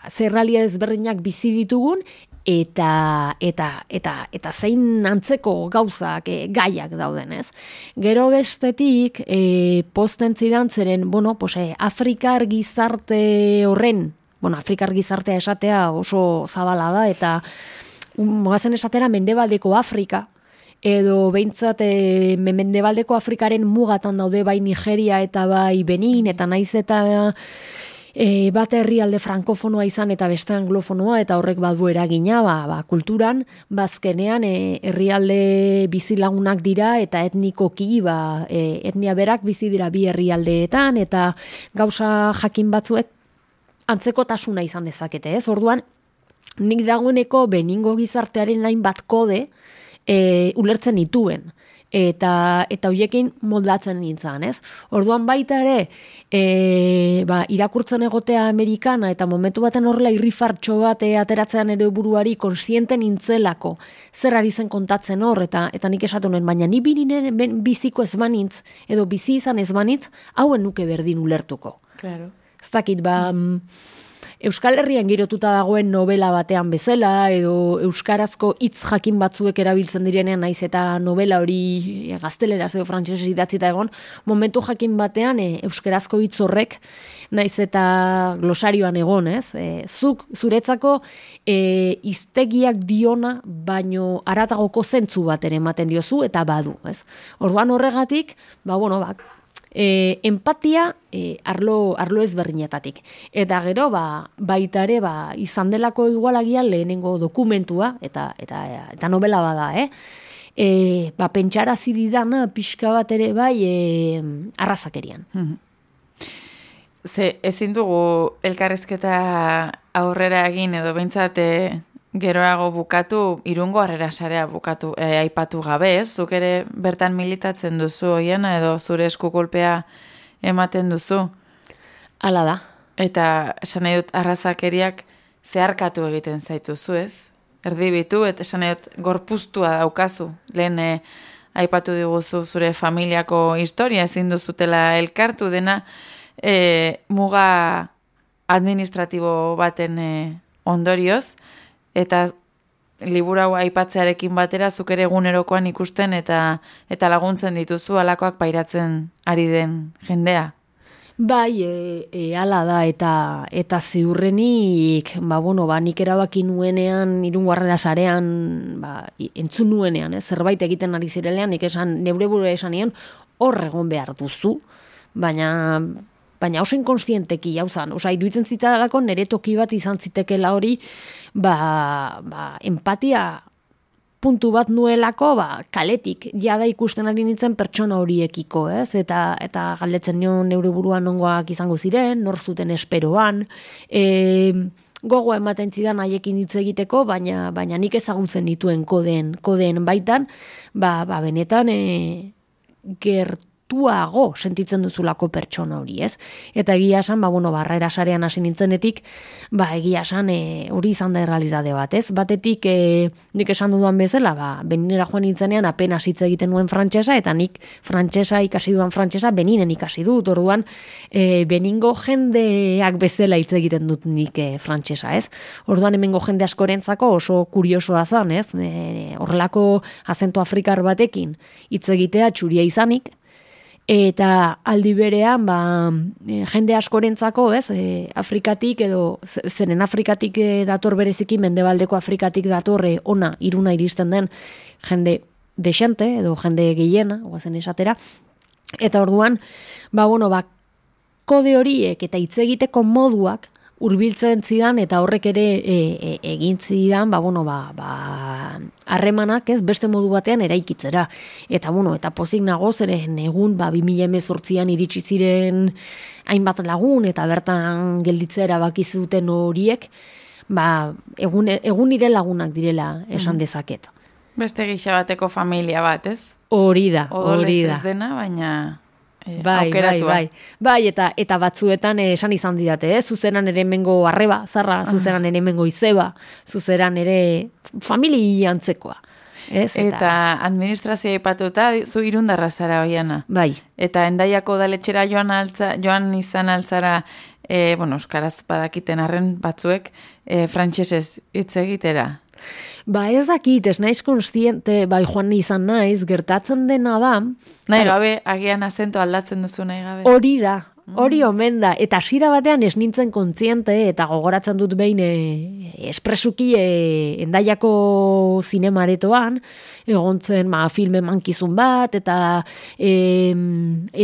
zer realia ezberdinak bizi ditugun, eta, eta, eta, eta zein antzeko gauzak, e, gaiak dauden, ez? Gero bestetik, e, posten zidan zeren, bueno, pues, e, Afrikar gizarte horren, bueno, Afrikar gizartea esatea oso zabala da, eta mogazen esatera mendebaldeko Afrika, edo behintzat e, mendebaldeko Afrikaren mugatan daude bai Nigeria eta bai Benin, eta naiz eta e, bat herrialde frankofonoa izan eta beste anglofonoa, eta horrek badu eragina, ba, ba, kulturan, bazkenean e, herrialde bizilagunak dira, eta etnikoki, ba, e, etnia berak bizi dira bi herrialdeetan, eta gauza jakin batzuek antzekotasuna izan dezakete, ez? Orduan, nik dagoeneko Beningo gizartearen hainbat kode e, ulertzen dituen, eta eta hoiekin moldatzen nintzen, ez? Orduan baita ere, e, ba, irakurtzen egotea Amerikana, eta momentu baten horrela irrifartxo bat ateratzean ere buruari konsiente nintzelako, zer ari zen kontatzen hor, eta eta nik esatu nuen, baina ni bininen biziko ez banitz, edo bizi izan ez banitz, hauen nuke berdin ulertuko. Claro. Ez dakit, ba, Euskal Herrian girotuta dagoen novela batean bezala, edo euskarazko hitz jakin batzuek erabiltzen direnean, naiz eta novela hori gazteleraz edo frantsesez idatzita egon, momentu jakin batean e, euskarazko hitz horrek, naiz eta glosarioan egon, ez? E, zuk, zuretzako e, hiztegiak diona, baino aratagoko zentzu bat ere ematen diozu, eta badu, ez? Orduan horregatik, ba, bueno, ba, E, empatia e, arlo, arlo ezberdinetatik. Eta gero, ba, baita ere, ba, izan delako igualagian lehenengo dokumentua, eta, eta, eta novela bada, eh? E, ba, pentsara zididan pixka bat ere bai e, arrazakerian. Ze, ezin dugu elkarrizketa aurrera egin, edo behintzat geroago bukatu, Irungo Harrera Sarea bukatu, e, aipatu gabe, ez? Zuk ere bertan militatzen duzu hoiena, edo zure eskukolpea ematen duzu. Hala da. Eta esan nahi dut arrazakeriak zeharkatu egiten zaituzu, ez? Erdibitu, eta esan nahi dut gorpuztua daukazu. Lehen e, aipatu diguzu zure familiako historia, ezin duzutela elkartu dena, e, muga administratibo baten e, ondorioz, eta liburu hau aipatzearekin batera zuk ere egunerokoan ikusten eta eta laguntzen dituzu halakoak pairatzen ari den jendea. Bai, e, e, ala da, eta eta ziurrenik, ba, bueno, ba, nik erabaki nuenean, Irungo sarean, ba, entzun nuenean, eh, zerbait egiten ari zirelean, nik esan, neure buru esan nion, hor egon behar duzu, baina, baina oso inkonstienteki hau zan, osa, iruditzen zitzadalako nire toki bat izan zitekela hori, ba, ba, empatia puntu bat nuelako, ba, kaletik, jada ikusten ari nintzen pertsona horiekiko, ez? Eta, eta galdetzen nion neure buruan nongoak izango ziren, nor zuten esperoan, e, gogoa ematen zidan haiekin hitz egiteko, baina, baina nik ezagutzen dituen kodeen, kodeen baitan, ba, ba benetan e, gertuago sentitzen duzulako pertsona hori, ez? Eta egia esan, ba, bueno, barrera sarean hasi nintzenetik, ba, egia esan, e, hori izan da errealitate bat, ez? Batetik, e, nik esan dudan bezala, ba, Beninera joan nintzenean apenas hitz egiten nuen frantsesa, eta nik frantsesa ikasi dudan frantsesa Beninen ikasi dut, orduan, e, Beningo jendeak bezala hitz egiten dut nik e, frantsesa, ez? Orduan hemengo jende askorentzako oso kuriosoa zan, ez? E, horrelako azento afrikar batekin hitz egitea txuria izanik, eta aldi berean, ba, e, jende askorentzako, ez, e, Afrikatik edo, zeren Afrikatik e, dator bereziki, mendebaldeko Afrikatik dator e, ona, iruna iristen den jende desente, edo jende gehiena, guazen esatera, eta orduan, ba, bueno, ba, kode horiek eta hitz egiteko moduak hurbiltzen zidan, eta horrek ere e, e, egin zidan, ba, bueno, ba, ba, harremanak, ez, beste modu batean eraikitzera. Eta, bueno, eta pozik nago, zeren egun, ba, bi mila hemezortzian iritsi ziren hainbat lagun, eta bertan gelditzera baki zuten horiek, ba, egun, egun nire lagunak direla esan dezaket. Beste gisa bateko familia bat, ez? Hori da, hori Odolez da. ez dena, baina... E, bai, bai, bai, bai, eta, eta batzuetan eh, esan izan didate, eh? Zuzeran ere hemengo arreba, zarra, zuzeran ere hemengo izeba, zuzeran ere familia antzekoa. Ez? Eta, eta administrazioa ipatuta, zu Irundarra zara Oiana. Bai. Eta Hendaiako udaletxera joan, altza, joan izan altzara, e, bueno, euskaraz badakiten arren batzuek, e, frantsesez hitz egitera. Ba ez dakit, ez naiz konstiente, bai joan izan naiz, gertatzen dena da. Nahi gabe, agian azento aldatzen duzu nahi gabe. Hori da, hori omen da, eta hasiera batean ez nintzen kontziente, eta gogoratzen dut behin e, espresuki e, Hendaiako zinemaretoan, egon zen ma, filme mankizun bat, eta e,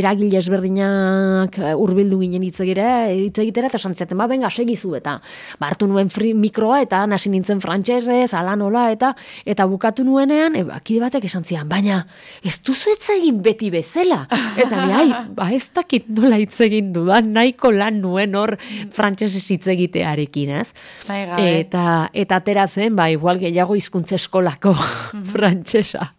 eragile ezberdinak hurbildu ginen hitz egitera, eta santziaten, ba, benga, segizu, eta bartu nuen fri, mikroa, eta hasi nintzen frantsesez, ala nola, eta eta bukatu nuenean, e, kide batek esan zian, baina, ez duzu hitz egin beti bezala, eta ni, ai, ba, ez dakit nola hitz egin dudan, nahiko lan nuen hor frantsesez hitz egitearekin, ez? Eta, eta atera zen, ba, igual gehiago hizkuntza eskolako frantsesa.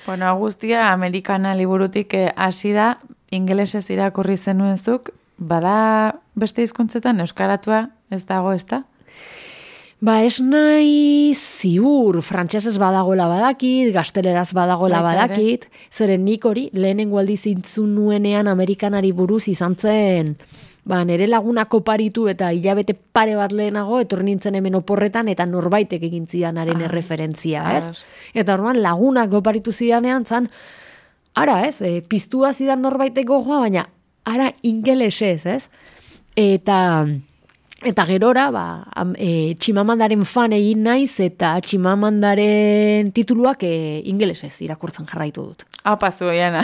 Bueno, guztia Amerikana liburutik hasi da, ingelesez irakurri zenuenzuk, bada beste hizkuntzetan euskaratua ez dago, ez da? Ba, ez nahi ziur, frantsesez badagoela badakit, gazteleraz badagoela badakit, zeren nik hori, lehenengo aldiz intzun nuenean Amerikanari buruz izan zen, ba, nire lagunak oparitu eta hilabete pare bat lehenago, etorri nintzen hemen oporretan, eta norbaitek egin zidanaren ah, erreferentzia, ez? Ah, eta orduan lagunak oparitu zidanean, zan, ara, ez, e, piztua zidan norbaitek gogoa, baina, ara ingelesez, ez? Eta... Eta gerora, ba, e, Tximamandaren fan egin naiz, eta Tximamandaren tituluak e, ingelesez irakurtzen jarraitu dut. Haupa zu, Oiana.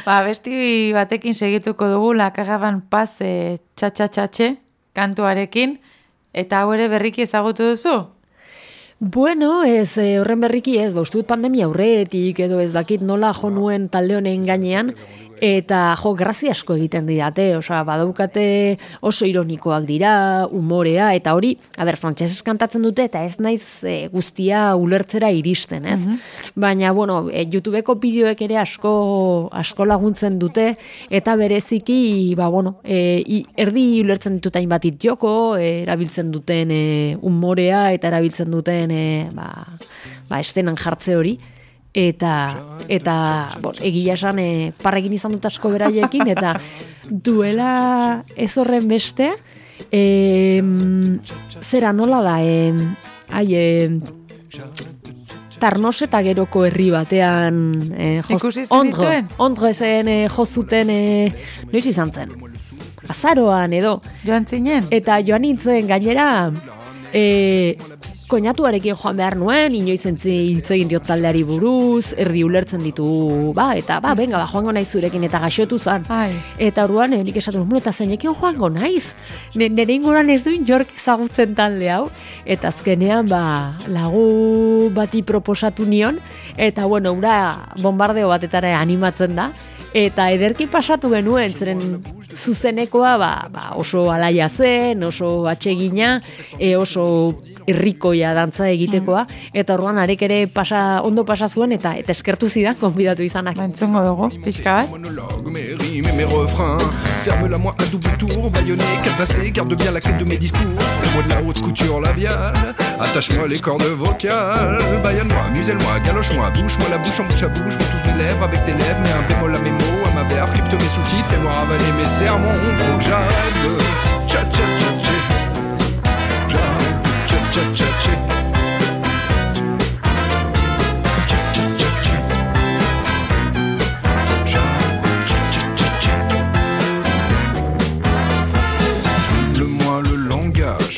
Ba, besti batekin segituko dugu, Lakagaban Paz e, txatxatxatxe kantuarekin, eta hau ere berriki ezagutu duzu? Bueno, ez e, horren berriki ez, ba, uste dut pandemia aurretik, edo ez dakit nola jo nuen talde honen gainean, eta jo, grazia asko egiten didate, osea, badaukate oso ironikoak dira, umorea, eta hori, a ber, frantsesez kantatzen dute, eta ez naiz e, guztia ulertzera iristen, ez? Mm-hmm. Baina, bueno, e, YouTubeko bideoek ere asko asko laguntzen dute, eta bereziki, ba, bueno, e, erdi ulertzen ditut hainbat joko, e, erabiltzen duten e, umorea, eta erabiltzen duten, e, ba, ba, estenan jartze hori, eta eta bon, egia esan e, parrekin izan dut asko beraiekin, eta duela ez horren beste e, zera nola da e, ai, e, Tarnos eta geroko herri batean eh, ikusi zenituen? Ondresen eh, jozuten eh, noiz izan zen? Azaroan edo. Joan zinen? Eta joan nintzen gainera eh, koinatuarekin joan behar nuen, inoiz hitz egin diot taldeari buruz, erdi ulertzen ditu, ba, eta ba, benga, ba, joango naiz zurekin, eta gaixotu zan. Ai. Eta orduan, eh, nik esatu, bueno, eta zeinekin joango naiz. Nere inguran ez duen jork ezagutzen talde hau, eta azkenean, ba, lagu bati proposatu nion, eta, bueno, ura bombardeo batetara animatzen da, eta ederki pasatu genuen, zeren zuzenekoa ba, ba, oso alaia zen, oso atsegina, e, oso irrikoia dantza egitekoa, eta orduan arek ere pasa, ondo pasa zuen, eta eta eskertu zidan, konbidatu izanak. Entzungo dugu, pixka bat. Mes rimes, mes refrains. Ferme-la moi à double tour, baïonné, cadenassé, garde bien la clé de mes discours. Fais-moi de la haute couture labiale, attache-moi les cordes vocales. Baïonne-moi, muselle-moi, galoche-moi, bouche-moi la bouche en bouche à bouche. Joue tous mes lèvres avec tes lèvres, mets un bémol à mes mots, à ma verve, crypte mes sous-titres, fais-moi ravaler mes sermons. Faut que j'arrête de tcha-tcha-tcha-tché. J'arrête de tcha-tcha-tcha-tché.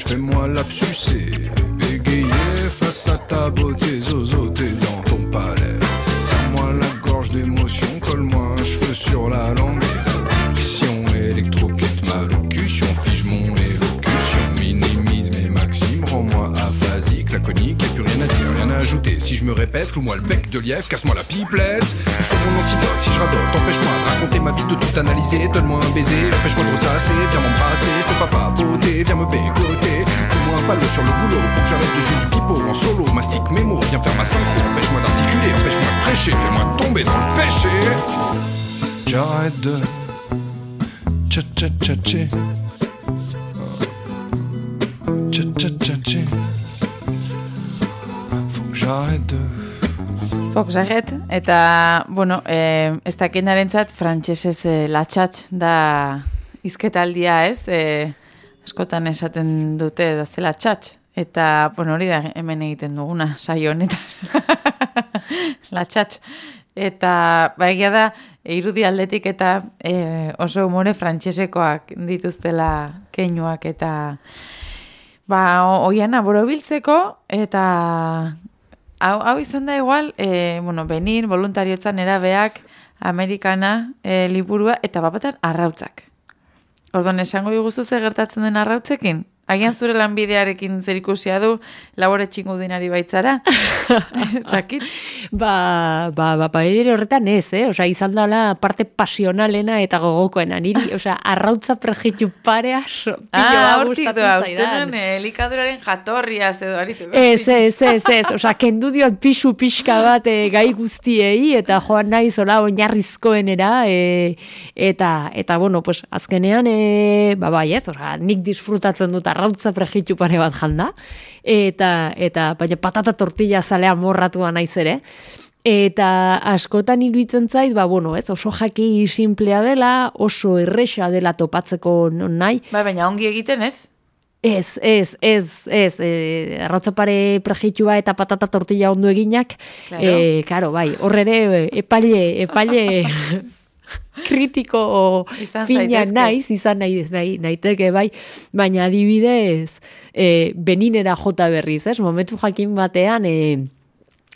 Fais-moi lapsucer, bégayer face à ta beauté, zozoter dans ton palais. Serre-moi la gorge d'émotion, colle-moi un cheveu sur la langue. Et diction électrocute ma locution, fige mon élocution, minimise mes maximes, rends-moi aphasique, laconique, et plus rien à dire, rien à ajouter. Si je me répète, cloue-moi le bec de lièvre, casse-moi la pipelette. Sois mon antidote, si je radote, empêche-moi de raconter ma vie, de tout analyser. Donne-moi un baiser, empêche-moi de ressasser, viens m'embrasser, fais pas papoter, viens me bécoter. Mets-moi un palo sur le boulot pour que j'arrête de jouer du pipeau en solo. Mastique mes mots, viens faire ma synchro, empêche-moi d'articuler, empêche-moi de prêcher, fais-moi tomber dans le péché. J'arrête de tcha-tcha-tcha-tché. Tcha-tcha-tcha-tché. Faut que j'arrête de Fok jarret, eta, bueno, eh, ez dakindarentzat frantsesez eh, latxatx da izketaldia, ez? Eh, askotan esaten dute da zela txatx, eta, bueno, hori da hemen egiten duguna, saio honetan. Latxatx. Eta, ba, egia da, irudi aldetik eta eh, oso umore frantsesekoak dituztela keinuak, eta, ba, oiana borobiltzeko, eta... Hau, hau izan da igual, e, bueno, Benin, voluntariotzan erabeak, Amerikana, e, liburua, eta bapatan arrautzak. Orduan, esango diguzu ze gertatzen den arrautzekin? Agian zure lanbidearekin zer ikusia du, labore txingudinari baitzara? Ez dakit? Ba, ba, ba, ba, ere horretan ez, eh? Osa, izan dela parte pasionalena eta gogokoena. Niri, osa, arrautza prejitu parea so, ah, hortik doa, ustenan elikaduraren jatorria edo aritu. Ez, ez, ez, ez. Osa, kendu diot pixu pixka bat e, gai guztiei, eta joan nahi zola oinarrizkoenera, e, eta, eta, bueno, pues, azkenean, e, ba, bai, ez, osa, nik disfrutatzen dut arrautza prejitu pare bat janda, eta, eta baina patata tortilla zalea morratua naiz ere, eta askotan iruditzen zait, ba, bueno, ez, oso jaki simplea dela, oso erresa dela topatzeko non nahi. Ba, baina ongi egiten, ez? Ez, ez, ez, ez, e, arrautza pare prejitua eta patata tortilla ondo eginak, claro, e, claro, bai, horrere epaile, epaile... kritiko fina naiz, izan nahi, nahi, naiteke bai, baina adibidez e, Beninera jota berriz, ez? Momentu jakin batean e,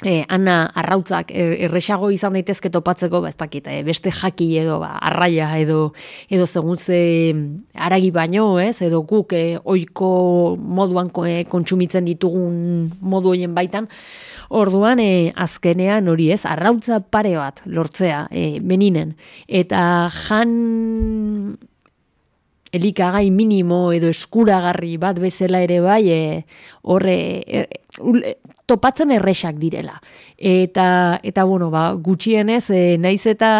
e, ana arrautzak erresago izan daitezke topatzeko, ba, ez dakit, e, beste jaki edo, ba, arraia edo, edo segun ze aragi baino, ez? Edo guk e, oiko moduan e, kontsumitzen ditugun modu hoien baitan. Orduan, e, azkenean hori ez, arrautza pare bat lortzea e, Beninen. Eta jan elikagai minimo edo eskuragarri bat bezala ere bai, e, horre e, e, topatzen erresak direla. Eta, eta bueno, ba, gutxienez, e, naiz eta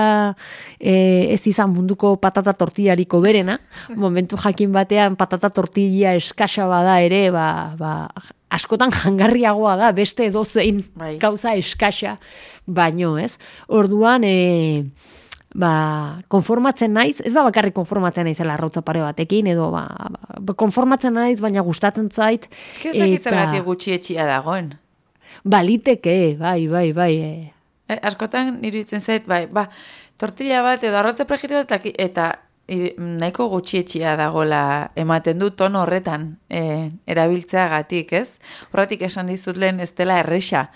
e, ez izan munduko patata tortillariko berena, momentu jakin batean patata tortilla eskasa bada ere, ba, ba, askotan jangarriagoa da, beste edozein bai, gauza eskasa, baino, ez? Orduan, e, ba, konformatzen naiz, ez da bakarrik konformatzen naizela arrautza pare batekin, edo ba, ba, konformatzen naiz, baina gustatzen zait. Kezak izan gutxi etxia dagoen? Baliteke, bai, bai, bai. E. E, askotan iruditzen zait, bai, ba, tortilla bat edo arrotza prejitu bat eta, eta i, nahiko gutxietxia dagoela ematen du tono horretan e, erabiltzeagatik, ez? Horretik esan dizut lehen ez dela erresa.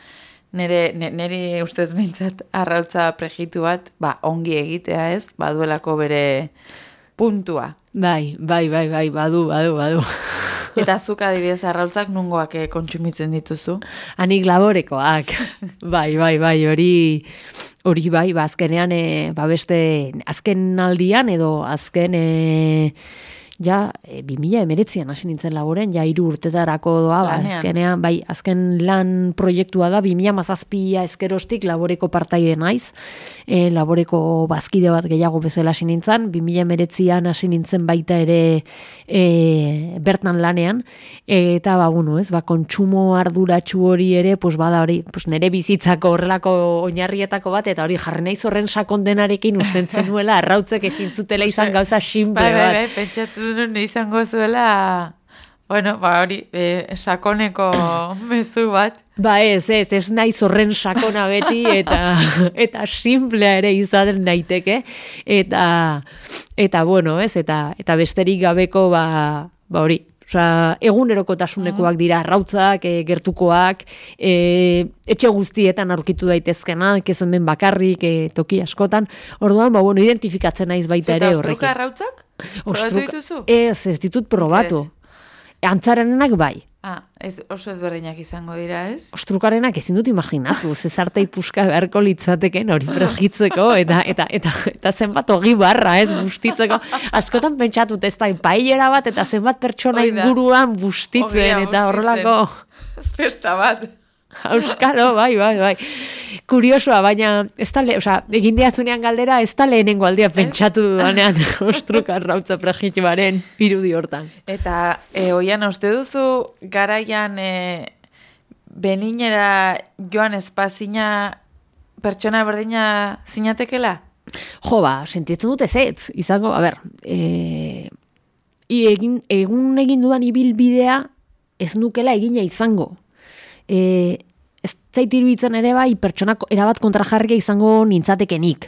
Nere, neri ustez bintzat arrautza prejitu bat, ba, ongi egitea, ez? Baduelako bere puntua. Bai, bai, bai, bai, badu, badu, badu. Eta zuk adibidez arrautzak nungoak eh, kontsumitzen dituzu? Anik laborekoak. Bai, bai, bai, hori hori bai, ba, azkenean, e, ba, beste, azken aldian edo azken, e, ja, e, bi mila emeretzian hasi nintzen laboren, ja, hiru urtetarako doa, ba, azkenean, bai, azken lan proiektua da, bi mila mazazpia ezkerostik laboreko partaide naiz, e, laboreko bazkide bat gehiago bezala hasi nintzen, bi mila emeretzian hasi nintzen baita ere e, bertan lanean, e, eta, ba, bueno, ez, ba, kontsumo arduratsu hori ere, pues, bada hori, pues, nere bizitzako horrelako oinarrietako bat, eta hori jarri naiz horren sakondenarekin usten zenuela, arrautzek ezin zutela izan gauza simple bai, bat. Bai, bai, pentsatu duen izango zuela, bueno, ba hori, e, sakoneko mezu bat. Ba ez, ez, ez naiz horren sakona beti, eta eta simplea ere izaten daiteke, eta, eta bueno, ez, eta, eta besterik gabeko, ba, ba hori, osea, egunerokotasunekoak dira arrautzak, e, gertukoak, e, etxe guztietan aurkitu daitezkenak, ez hemen bakarrik, e, toki askotan. Orduan, ba bueno, identifikatzen naiz baita ere horrekin. Eta ostruka arrautzak? Probatu dituzu? Ez, ez ditut probatu. Antzarenenak bai. Ah, ez, oso ezberdinak izango dira, ez? Ostrukarenak ezin dut imaginatu, zezartei puska beharko litzateken hori pregitzeko, eta, eta, eta, eta zenbat ogi barra, ez, bustitzeko. Askotan pentsatut ez da, paellera bat, eta zenbat pertsona inguruan bustitzen, eta horrelako... Festa bat. Euskalo, bai, bai, bai. Kuriosoa, baina ez da, oza, egin diazunean galdera, ez da lehenengo aldia pentsatu dudanean ostruka arrautza prejitibaren irudi hortan. Eta, e, oian, uste duzu garaian e, beninera joan espazina pertsona berdina zinatekela? Jo, ba, sentitzen dut ez ez, izango, a ber, e, egin, egun egin dudan ibilbidea ez nukela egina izango. E, ez zait iruditzen ere bai pertsonak erabat kontrajarria izango nintzatekenik.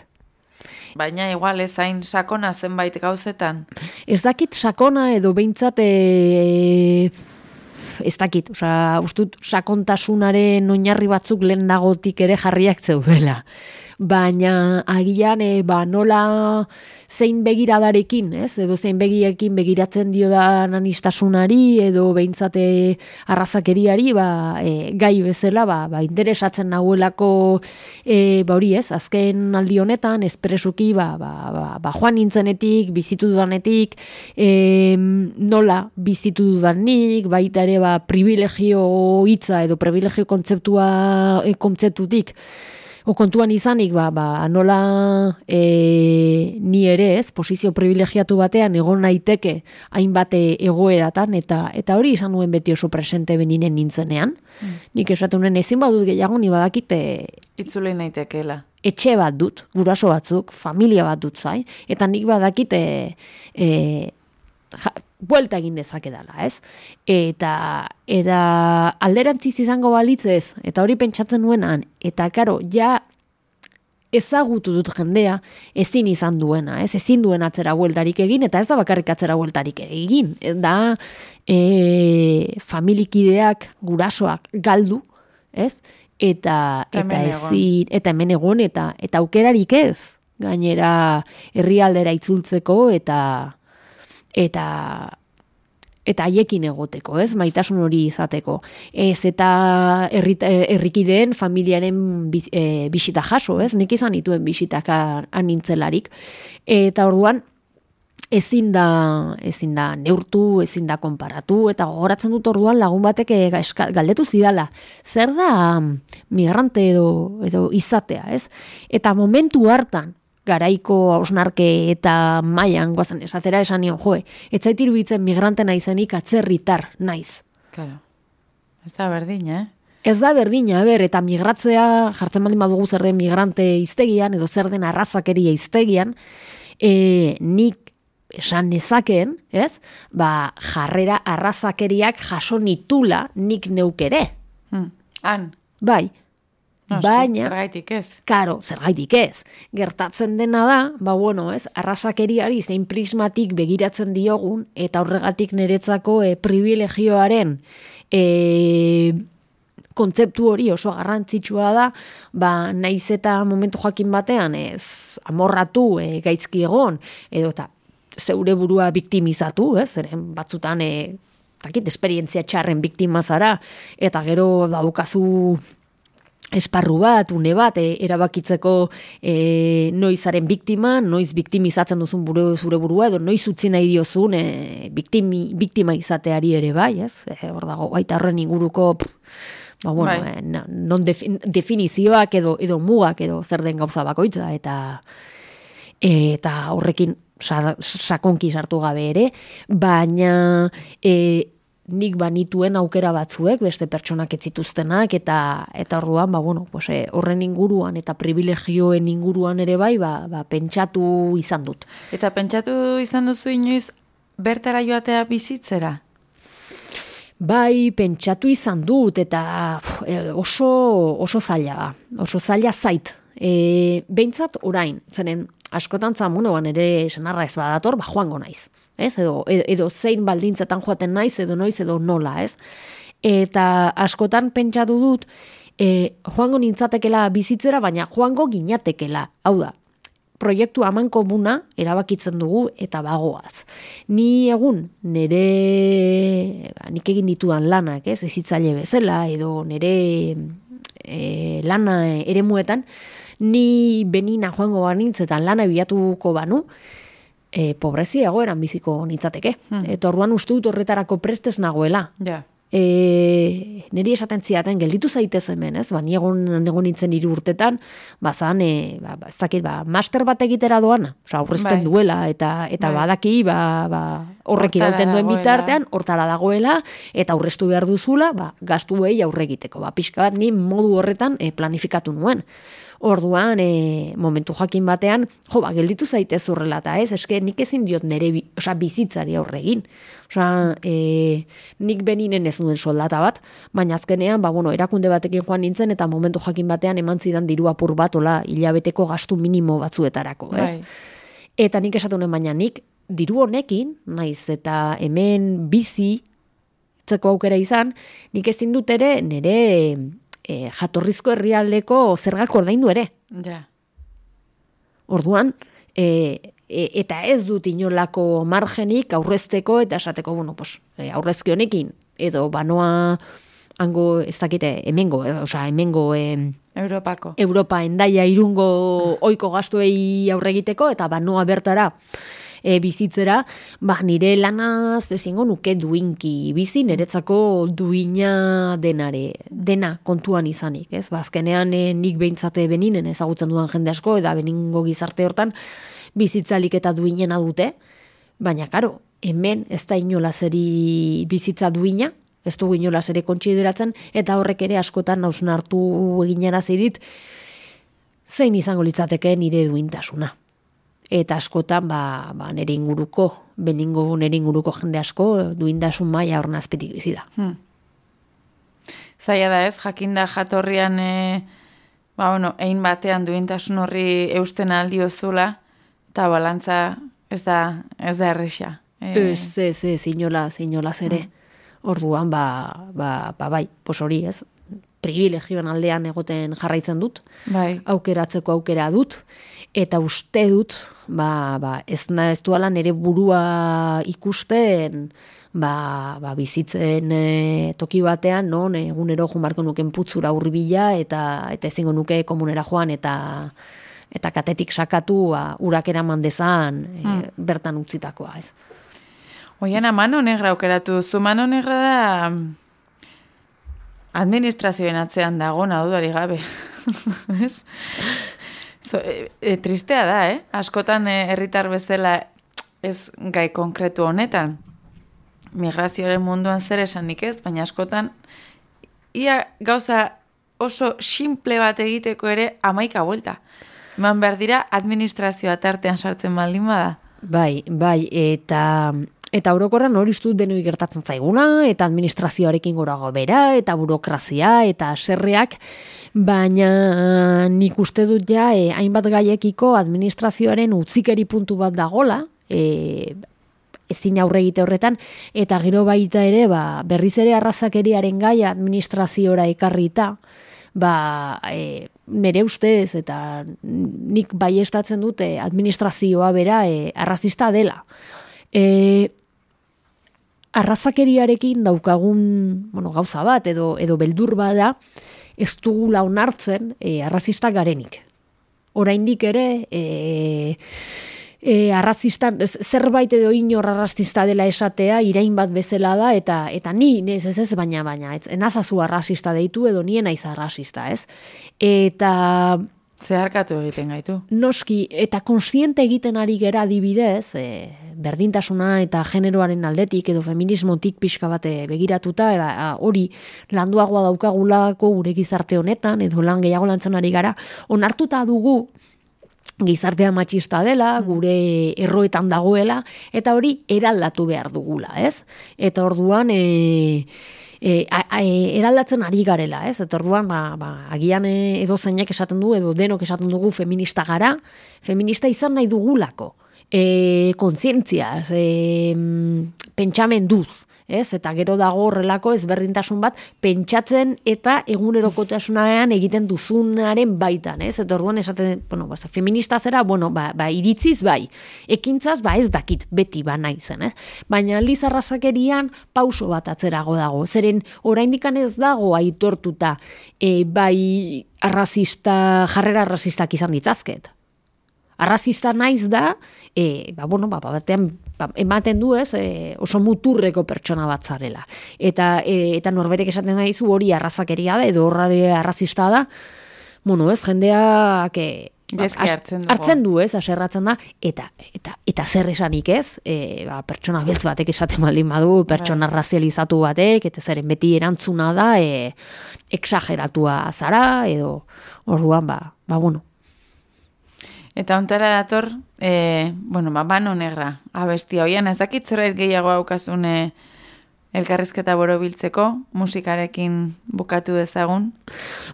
Baina igual ez hain sakona zenbait gauzetan. Ez dakit sakona edo behintzat e, ez dakit, osea, ustut sakontasunaren oinarri batzuk lehen dagotik ere jarriak zeudela. Baina agian e, ba, nola zein begiradarekin, ez? Edo zein begiekin begiratzen dio da anistasunari edo behintzate arrazakeriari, ba, e, gai bezala, ba, ba, interesatzen nahuelako e, ba, hori ez, azken aldi honetan, espresuki, ba, ba, ba, ba, joan nintzenetik, bizitu dudanetik, e, nola bizitu dudanik, baita ere ba, privilegio hitza edo privilegio kontzeptua e, kontzeptutik, o kontuan izanik, ba, ba, nola e, ni ere ez, posizio privilegiatu batean egon naiteke hainbate egoeratan, eta eta hori izan nuen beti oso presente beninen nintzenean. Mm. Nik esatu nuen ezin badut gehiago, ni badakite... Itzulei naitekeela. Etxe bat dut, guraso batzuk, familia bat dut zain, eta nik badakite... E, ja, buelta egin dezakedala, ez? Eta, eta alderantziz izango balitzez, eta hori pentsatzen nuenan, eta karo, ja ezagutu dut jendea, ezin izan duena, ez? Ezin duen atzera bueltarik egin, eta ez da bakarrik atzera bueltarik egin. Da, e, familikideak, gurasoak galdu, ez? Eta, eta ezin, eta hemen egon, eta, eta aukerarik ez, gainera herrialdera itzultzeko, eta eta eta haiekin egoteko, ez? Maitasun hori izateko. Ez eta herrikideen familiaren biz, e, bisita jaso, ez? Nik izan dituen bisitak anintzelarik. Eta orduan ezin da, ezin da neurtu, ezin da konparatu, eta gogoratzen dut orduan lagun batek galdetu zidala. Zer da migrante edo, edo izatea, ez? Eta momentu hartan, garaiko hausnarke eta mailan goazen esatera esan nion, joe, etzait iruditzen migrante naizenik atzerritar naiz. Claro. Ez da berdin, eh? Ez da berdina, ber, eta migratzea, jartzen baldin badugu zer den migrante iztegian, edo zer den arrazakeria iztegian, e, nik esan nezakeen, ez? Ba, jarrera arrazakeriak jaso nitula nik neukere. Hmm. Han. Bai, No, baina... Zergaitik ez. Karo, zergaitik ez. Gertatzen dena da, ba bueno, ez, arrasakeriari zein prismatik begiratzen diogun, eta horregatik niretzako e, privilegioaren e, kontzeptu hori oso garrantzitsua da, ba naiz eta momentu jakin batean ez amorratu, e, gaizki egon, edo eta zeure burua biktimizatu, ez, zeren batzutan e, takit, esperientzia txarren biktima zara, eta gero daukazu esparru bat, une bat, e, erabakitzeko e, noizaren biktima, noiz biktimizatzen duzun buru, zure burua, edo noiz utzi nahi diozun e, biktimi, biktima izateari ere bai, ez? E, hor dago, baita horren inguruko, pff, ba, bueno, bai. e, non defin, definizioak edo, edo mugak edo zer den gauza bakoitza, eta e, eta horrekin sa, sakonki sartu gabe ere, baina e, nik banituen aukera batzuek, beste pertsonak ez zituztenak, eta eta orduan, ba, bueno, pues, eh, horren inguruan eta privilegioen inguruan ere bai, ba, ba, pentsatu izan dut. Eta pentsatu izan duzu inoiz bertara joatea bizitzera? Bai, pentsatu izan dut, eta uf, oso, oso zaila da, oso zaila zait. E, behintzat orain, zenen askotan zamunoan ere senarra ez badator, ba, joango naiz. Ez? Edo, edo, edo zein baldintzetan joaten naiz, edo noiz, edo nola, ez? Eta askotan pentsatu dut, e, joango nintzatekela bizitzera, baina joango ginatekela. Hau da, proiektu amankomuna erabakitzen dugu eta bagoaz. Ni egun nire, nik egin ditudan lanak, ez? Ezitzaile bezala, edo nire e, lana eremuetan, ni benina joango banintzetan lana bilatuko banu, E, pobrezia egoeran biziko nintzateke. Hmm. Eta orduan uste dut horretarako prestez nagoela. Ja. E, niri esaten ziaten, gelditu zaitez hemen, ez? Ba, ni egon, egon nintzen hiru urtetan, bazan, e, ba, ba, ez dakit, ba, master bat egitera doana. Osa, aurrezten bai. duela, eta, eta bai. badaki, ba, ba, horrek irauten duen bitartean, hortara dagoela, eta aurreztu behar duzula, ba, gastuei aurre egiteko. Ba, pixka bat, ni modu horretan e, planifikatu nuen. Orduan, e, momentu jakin batean, jo, ba, gelditu zaitez horrela, eta ez, eske nik ezin diot nire bi, osa, bizitzari aurre egin. Osa, e, nik beninen ez nuen soldata bat, baina azkenean, ba, bueno, erakunde batekin joan nintzen, eta momentu jakin batean eman zidan diru apur bat, ola, hilabeteko gastu minimo batzuetarako, ez? Bai. Eta nik esatu nuen, baina nik diru honekin, naiz, eta hemen bizi, etzeko aukera izan, nik ezin dut ere nire E, jatorrizko herrialdeko zergak ordaindu ere. Ja. Orduan, e, e, eta ez dut inolako margenik aurrezteko eta esateko, bueno, pues, e, aurrezki honekin, edo banoa hango, ez dakite, hemengo, e, osea, hemengo e, Europako. Europa endaia irungo oiko gastuei aurregiteko, eta banoa bertara E, bizitzera, ba, nire lanaz ezingo nuke duinki bizi, niretzako duina denare, dena kontuan izanik, ez? Ba, azkenean e, nik behintzate beninen ezagutzen dudan jende asko, eta beningo gizarte hortan bizitzalik eta duinena dute, baina, karo, hemen ez da inolazeri bizitza duina, ez dugu inolazeri kontsideratzen, eta horrek ere askotan hausnartu eginara dit, zein izango litzateke nire duintasuna. Eta askotan, ba, ba, nire inguruko, beningo nire inguruko jende asko, duindasun maila horren azpetik bizi da. Hmm. Zaila da ez, jakinda jatorrian, e, ba, bueno, ein batean duintasun horri eusten aldiozula, eta balantza ez da, ez da erresa. E... Ez, ez, ez, inola, inola zere. Hmm. Orduan, ba, ba, ba, bai, pos hori ez, privilegioan aldean egoten jarraitzen dut, bai. Aukeratzeko aukera dut, eta uste dut, ba, ba, ez, na, ez duala nire burua ikusten, ba, ba, bizitzen e, toki batean, non, egunero jumarko nuken putzura urbila, eta eta ezingo nuke komunera joan, eta eta katetik sakatu, ba, urak eraman dezan, hmm. e, bertan utzitakoa, ez. Oiana, Mano Negra aukeratu zu, Mano Negra da administrazioen atzean dago, nadudari gabe, ez? So, e, e, tristea da, eh? Askotan herritar bezala ez gai konkretu honetan. Migrazioaren munduan zer esanik ez, baina askotan ia gauza oso simple bat egiteko ere hamaika buelta. Eman behar dira administrazioa tartean sartzen baldin bada. Bai, bai, eta Eta orokorran hori uste dut denoi gertatzen zaiguna, eta administrazioarekin gorago bera, eta burokrazia, eta serreak, baina nik uste dut ja, eh, hainbat gaiekiko administrazioaren utzikeri puntu bat dagola, eh, ezin aurre egite horretan, eta gero baita ere, ba, berriz ere arrazakeriaren gaia administraziora ekarrita, ba, e, nere ustez, eta nik baiestatzen dute administrazioa bera e, arrazista dela. E, arrazakeriarekin daukagun bueno, gauza bat, edo, edo beldur bada, ez dugula onartzen e, arrazista garenik. Oraindik ere, e, e, arrazistan, zerbait edo inor arrazista dela esatea, irain bat bezala da, eta eta ni, ez ez ez, baina, baina, ez, enazazu arrazista deitu edo nien aiz arrazista, ez? Eta... Zeharkatu egiten gaitu. Noski, eta konstiente egiten ari gera adibidez, e, berdintasuna eta generoaren aldetik edo feminismotik pixka bate begiratuta, eta hori landuagoa daukagulako gure gizarte honetan, edo lan gehiago lantzen ari gara, onartuta dugu gizartea matxista dela, gure erroetan dagoela, eta hori eraldatu behar dugula, ez? Eta orduan... E, E, a, a, eraldatzen ari garela, ez? Eta orduan, ba, ba, agian edo zeinak esaten du, edo denok esaten dugu feminista gara, feminista izan nahi dugulako, e, kontzientziaz, e, pentsamenduz, ez? Eta gero dago horrelako ezberdintasun bat pentsatzen eta egunerokotasunean egiten duzunaren baitan, ez? Eta orduan esaten, bueno, ba, feminista zera, bueno, ba, ba, iritziz bai, ekintzaz, ba, ez dakit, beti ba nahi zen, ez? Baina aldiz arrazakerian pauso bat atzerago dago, zeren oraindikan ez dago aitortuta, e, bai arrazista, jarrera arrazistak izan ditzazket. Arrazista naiz da, e, ba, bueno, ba, batean ba, ematen du ez, e, oso muturreko pertsona bat zarela. Eta, e, eta norberek esaten nahizu hori arrazakeria da, edo horrare arrazista da, bueno, ez, jendeak e, ba, hartzen, hartzen du, ez, aserratzen da, eta, eta, eta zer esanik ez, e, ba, pertsona beltz batek esaten baldin badu, pertsona right. razializatu batek, eta zeren beti erantzuna da, e, exageratua zara, edo orduan, ba, ba, bueno, eta ontara dator, e, bueno, ba, Mano Negra, abestia hoian, ez dakit zerbait gehiago haukazune elkarrizketa borobiltzeko, musikarekin bukatu dezagun?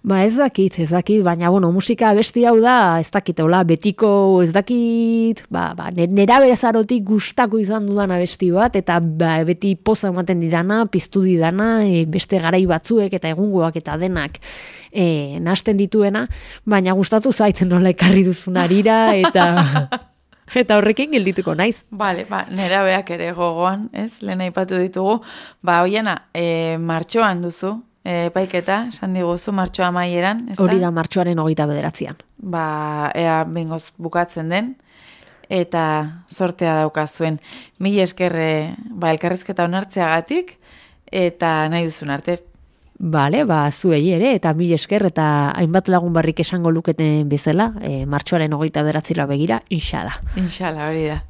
Ba ez dakit, ez dakit, baina bueno, musika abesti hau da, ez dakit, hola, betiko, ez dakit, ba, ba, nera bezarotik gustako izan dudan abesti bat, eta ba, beti poza ematen didana, piztu didana, e, beste garai batzuek eta egungoak eta denak, E, nasten dituena, baina gustatu zaiten nola ekarri duzun arira, eta eta horrekin geldituko naiz. Bale, ba, nera beak ere gogoan, ez? Lehen aipatu ditugu. Ba, hoiena, e, martxoan duzu, e, paiketa, esan diguzu, martxoa maieran, ez da? Hori da martxoaren hogeita bederatzian. Ba, ea bengoz bukatzen den, eta sortea daukazuen. Mil eskerre, ba, elkarrizketa onartzeagatik, eta nahi duzun arte. Bale, ba, zuei ere, eta mil esker, eta hainbat lagun barrik esango luketen bezala, e, martxoaren hogeita beratzira begira, inshala. Inshala, hori da.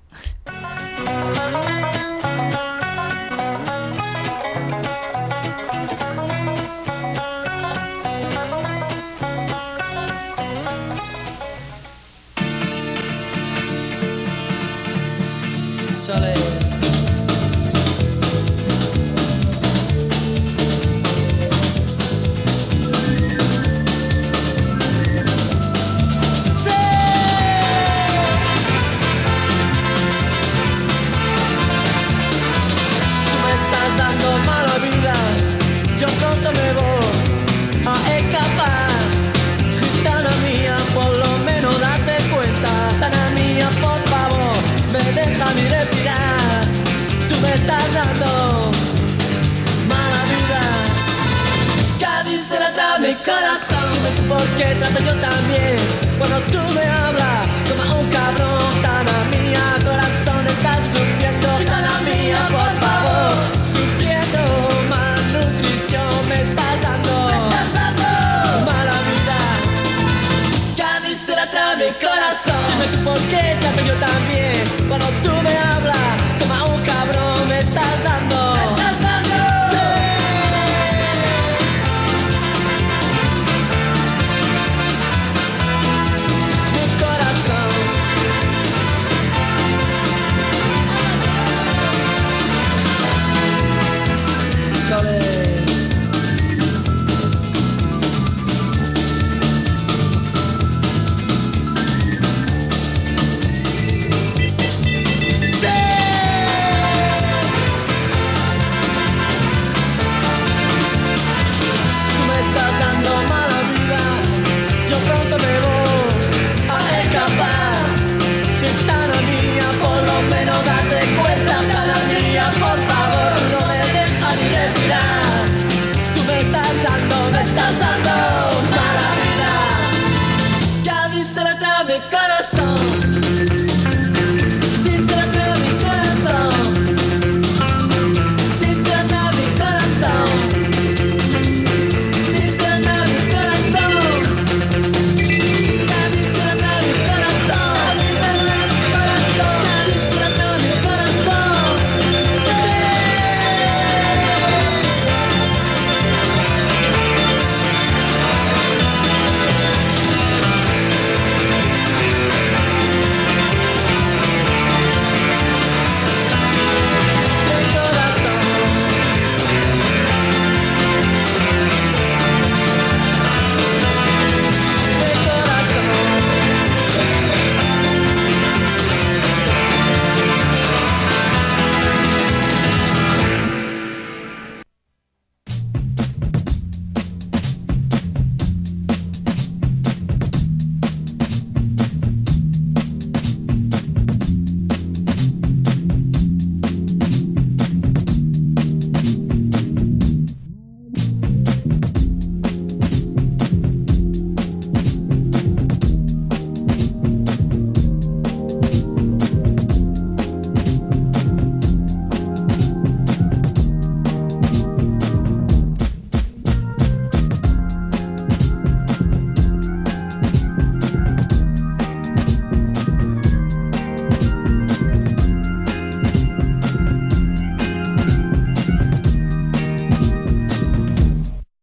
Chale. Yo pronto me voy a escapar, gitana mía, por lo menos date cuenta, gitana mía, por favor, me deja ni respirar, tú me estás dando mala vida, Cádiz se la trae mi corazón, dime tú por qué trato yo también, cuando tú me hablas.